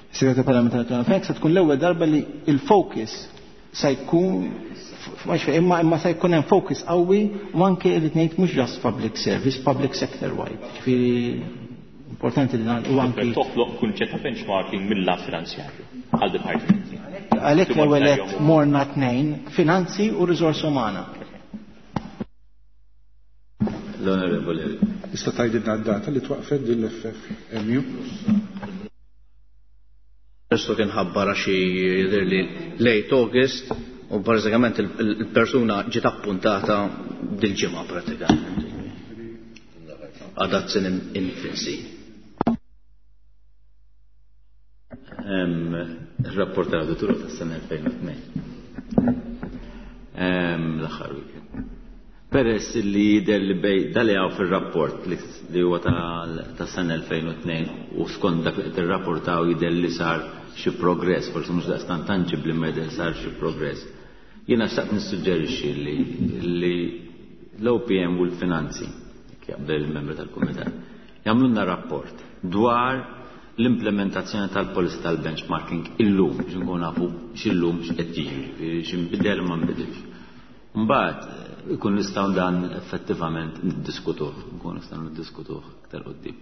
Segretarju Parlamentari Tony Fenech, sa tkun l-ewwel darba li il-focus sa jkun imma sa jkun hemm focus qawwi u anke irid ngħid mhux just public service, public sector wide. Ġifieri importanti li u anke toħloq kunċett ta' benchmarking mill-lat finanzjarju għal dipartimenti. Għalhekk l-ewwel qed morna tnejn, finanzi u riżorsa umana. L-Onorevoli. Tista' tgħidilna d-data li twaqfet din l-FFMU? Questo kien ħabbara xi jidher li late August u bażikament il-persuna ġiet appuntata dil-ġimgħa pratikament. Għadha in infancy. Il-rapport tal-awditur tas-sena 2002. L-aħħar weekend. Peress li jidher li bej dali hawn fir-rapport li huwa tas-sena 2002 u skont dak li qed irrapportaw jidher li sar xi progress, forsi mhux daqstant tangibbli ma jidher sar xi progress. Jiena xtaqt nissuġġerixxi li l-OPM u l-finanzi, jekk jaqbel il-membru tal-kumitat, jagħmlulna rapport dwar l-implementazzjoni tal-policy tal-benchmarking illum, biex nkun nafu x'illum x'qed jiġri, x'inbidel ma nbidilx. Mbagħad ikun nistgħu dan effettivament niddiskutuh, nkun nistgħu niddiskutuh iktar quddiem.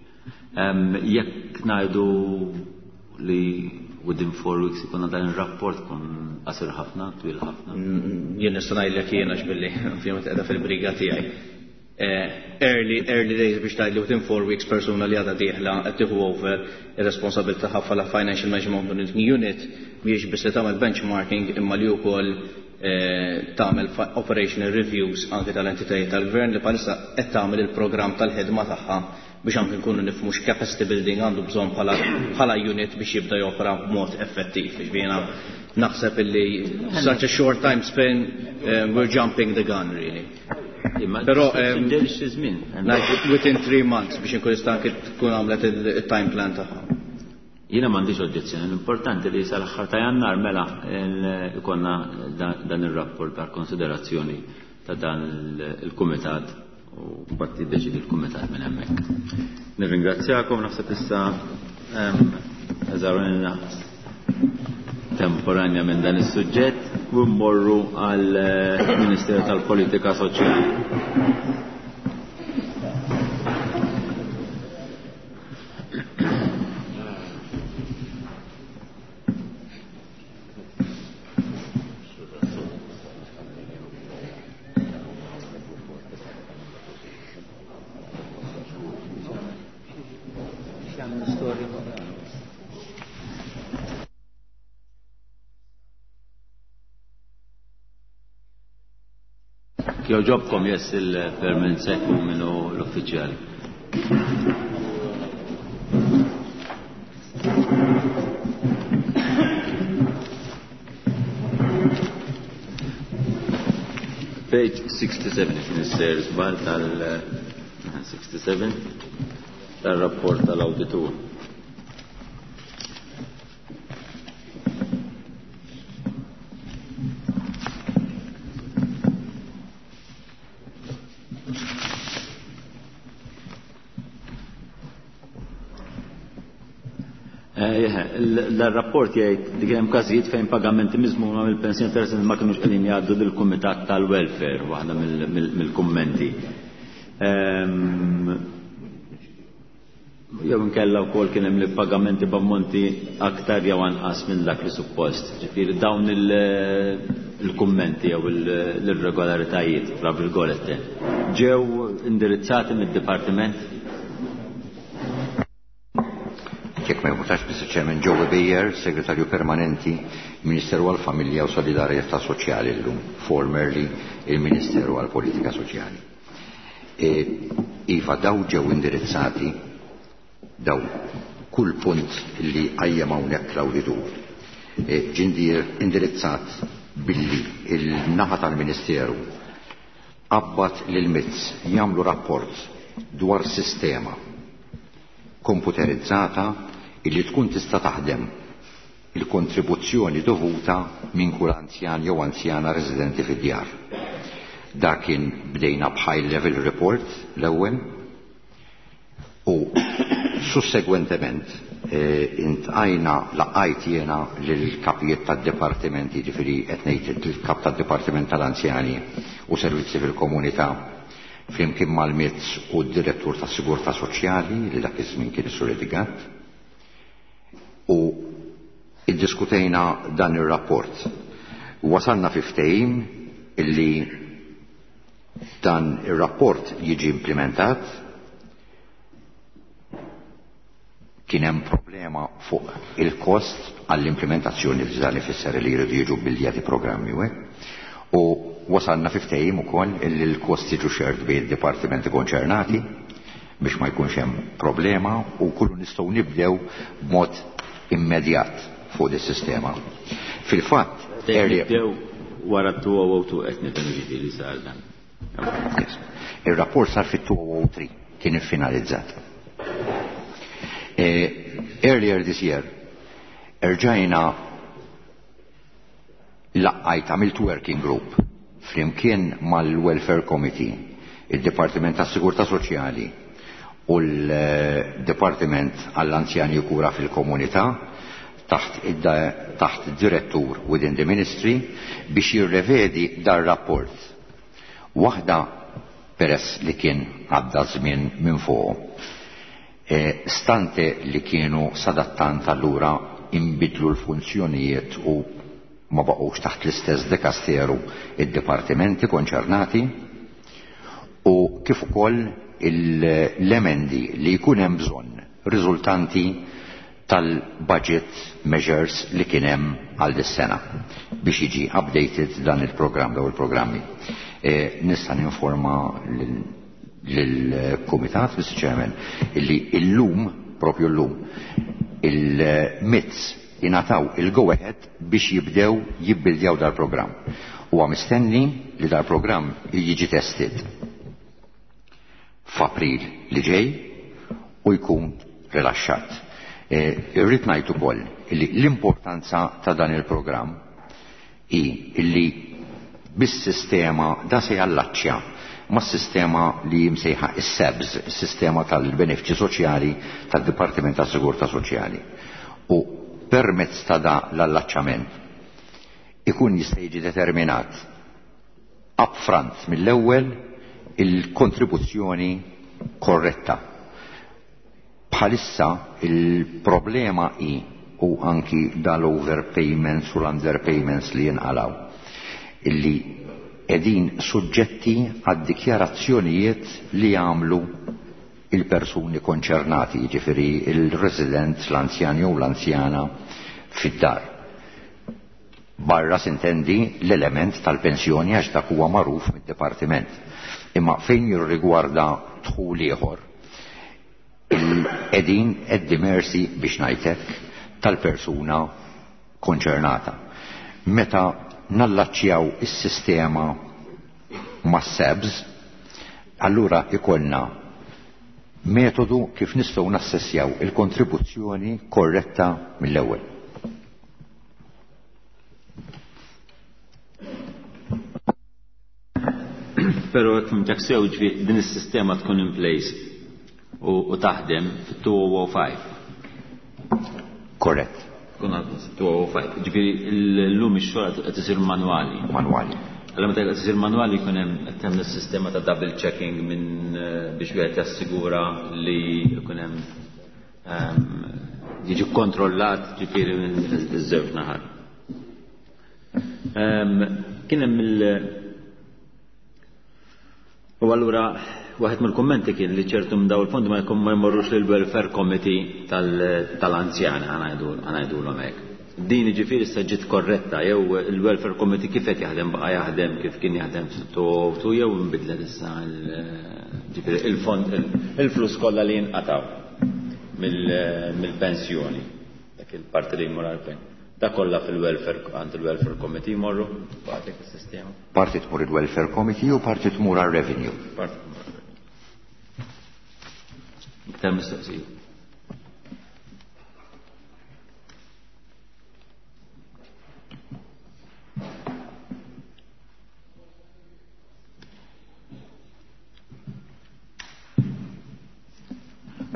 Jekk ngħidu li within 4 weeks ikun dan ir-rapport kun qasir ħafna, twil ħafna. Jien nista' ngħidlek jien għax billi ovvjament qiegħda fil-briga tiegħi. Early, early days biex tgħidli within 4 weeks persuna li għadha dieħla qed tieħu over ir-responsabilità bħala Financial Management Unit mhijiex biss li tagħmel benchmarking imma li wkoll tagħmel operational reviews anke tal-entitajiet tal-gvern li bħalissa qed tagħmel il-programm tal-ħidma tagħha biex anke nkunu nifhmu x'capacity building għandu bżonn bħala unit biex jibda jopera b'mod effettiv. Jiġifieri naħseb illi such a short time span, we're jumping the gun really. Però within 3 months biex inkun nista' anke tkun għamlet il-time plan tagħha. Jiena m'għandix oġġezzjoni, l-importanti li sal-aħħar ta' Jannar mela ikonna dan ir-rapport ta' konsiderazzjoni ta' dan il-kumitat u mbagħad jiddeċidi l-kumitat minn hemmhekk. Nirringrazzjakom, naħseb issa eżawrina temporanja minn dan is-suġġett u mmorru għal Ministeru tal-Politika Soċjali. Joġobkom jess il-permanent sekku minnu l-uffiċjali. Page 67, kien isser żball tal-67 tal-rapport tal-awditur. L-rapport jgħid li kien hemm każijiet fejn pagamenti miżmuma mill-pensjoni tal-residenti ma kinux qegħdin jgħaddu lill-Kumitat tal-Welfare, waħda mill-kummenti. Jew inkella wkoll kien hemm li pagamenti b'ammonti aktar jew anqas minn dak li suppost. Ġifieri dawn il-kummenti jew l-irregolaritajiet fra virgolette ġew indirizzati mid-dipartiment? Jekk ma jmutax, Mr. Chairman, Joe Beyer, Segretarju Permanenti, Ministeru għal-Familja u Solidarjetà Soċjali llum, formerly il-Ministeru għal-Politika Soċjali. Iva, daw ġew indirizzati, daw kull punt li qajjem hawnhekk l-awditur. Ġie indirizzat billi il-naħa tal-Ministeru qabbat lil MITS jagħmlu rapport dwar sistema komputerizzata illi tkun tista' taħdem il-kontribuzzjoni dovuta minn kull anzjan jew anzjana residenti fid-djar. Dak kien bdejna b'high level report l-ewwel u sussegwentement intqajna laqajt jiena lill-kapijiet tad-dipartimenti, jiġifieri qed ngħid il-kap tad-Dipartiment tal-Anzjani u Servizzi fil-Komunità flimkien mal-MITS u d-direttur tas-Sigurtà Soċjali li dak iż-żmien kien is-Sur Edigat, u iddiskutejna dan ir-rapport. Wasalna fi ftehim illi dan ir-rapport jiġi implementat. Kien hemm problema fuq il-kost għall-implementazzjoni li dan ifisser li jridu jiġu biljati programmi u hekk. U wasalna fi ftehim ukoll illi l-kost jiġu shared bejn id-dipartimenti konċernati biex ma jkunx hemm problema u kullu nistgħu nibdew b'mod immedjat fuq dis-sistema. Fil-fatt, nibdew wara 2002 qed nifhem ġifieri sar dan. Yes. Ir-rapport sar fit-2003 kien iffinalizzat. Earlier this year, erġajna laqqajt għamilt working group flimkien mal-Welfare Committee, il-Dipartiment tas-Sigurtà Soċjali u l-Dipartiment għall-Anzjani u Kura fil-Komunità taħt direttur within the Ministry biex jirrevedi dar rapport. Waħda peress li kien għadda żmien minn fuq. Stante li kienu sadattant allura inbidlu l-funzjonijiet u ma baqgħux taħt l-istess dikasteru id-dipartimenti konċernati u kif ukoll l-emendi li jkun hemm bżonn riżultanti tal-budget measures li kien hemm għal dis-sena biex jiġi updated dan il-programm daw il-programmi. Nista' ninforma lill-Kumitat, Mr. Chairman, illi illum, propju llum, il-MITS ingħataw il-go ahead biex jibdew jibbildjaw dal-programm. Huwa mistenni li dal-programm jiġi tested f'April li ġej u jkun rilaxxat. Irrid ngħid ukoll li l-importanza ta' dan il-programm hi illi bis-sistema da se jallaċċja mas-sistema li msejħa is-SEBS, is-sistema tal-benefiċċji soċjali tad-Dipartiment tas-Sigurtà Soċjali. U permezz ta' da l-allaċċament ikun jista' jiġi determinat upfront mill-ewwel il-kontribuzzjoni korretta. Bħalissa il-problema hi u anki dal-overpayments u l-underpayments li jinqalaw illi edin suġġetti għad dikjarazzjonijiet li jagħmlu il-persuni konċernati, jiġifieri il-resident, l-anzjan jew l-anzjana fid-dar. Barra sintendi l-element tal-pensjoni għax dak huwa magħruf mid-dipartiment. Imma fejn jirrigwarda dħul ieħor, qegħdin at the mercy biex ngħidlek tal-persuna konċernata. Meta nallaċċjaw is-sistema mas-SEBS, allura ikollna metodu kif nistgħu nassessjaw il-kontribuzzjoni korretta mill-ewwel. Però jekk fhimtek sew ġifieri din is-sistema tkun in place u taħdem fit-2005. Korrett. Tkun għadha 2005. Ġifieri llum ix-xogħol qed isir manwali. Manwali. Allora meta qed isir manwali jkun hemm qed hemm is-sistema ta' double checking minn biex wieħed jassigura li jkun hemm jiġi kontrollat ġifieri minn iż-żewġ naħat. Kien hemm il- U allura waħed mill-kummenti kien li ċertu minn daw il-fondi ma jkun ma jmorrux lil welfare committee tal-anzjani ħanajdulhom hekk. Din jiġifieri issa ġiet korretta jew il-welfare committee kif qed jaħdem baqa' jaħdem kif kien jaħdem tu jew inbidlet issa ġifieri il-fond il-flus kollha li jinqataw mill-pensjoni dak il-parti li jmur għall-pen. Da kollha fil-welfare għand il-welfare committee jmorru baqgħet is-sistema. Parti tmur il-welfare committee u parti tmur għal-revenue. Parti tmur għal-revenue. Iktar mistoqsijiet.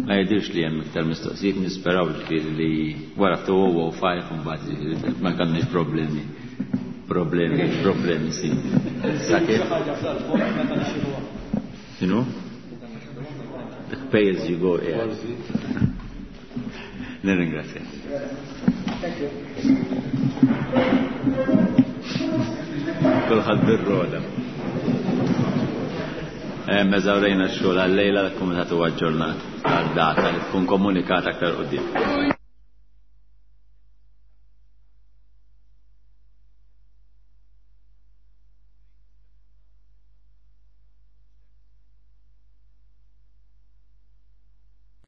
Ma jidirx li hemm iktar mistoqsijiet, nisperaw ġifieri li wara 2005 mbagħad ma kellniex problemi. Problemi, problemi sì. Sakemm. X'inhu? Pay as you go, yeah. Nirringrazzja. Thank you. Kulħadd bir-roda. Eżawrejna x-xogħol għal-lejla l-kumitat huwa aġġornat għal data li tkun komunikata aktar quddiem.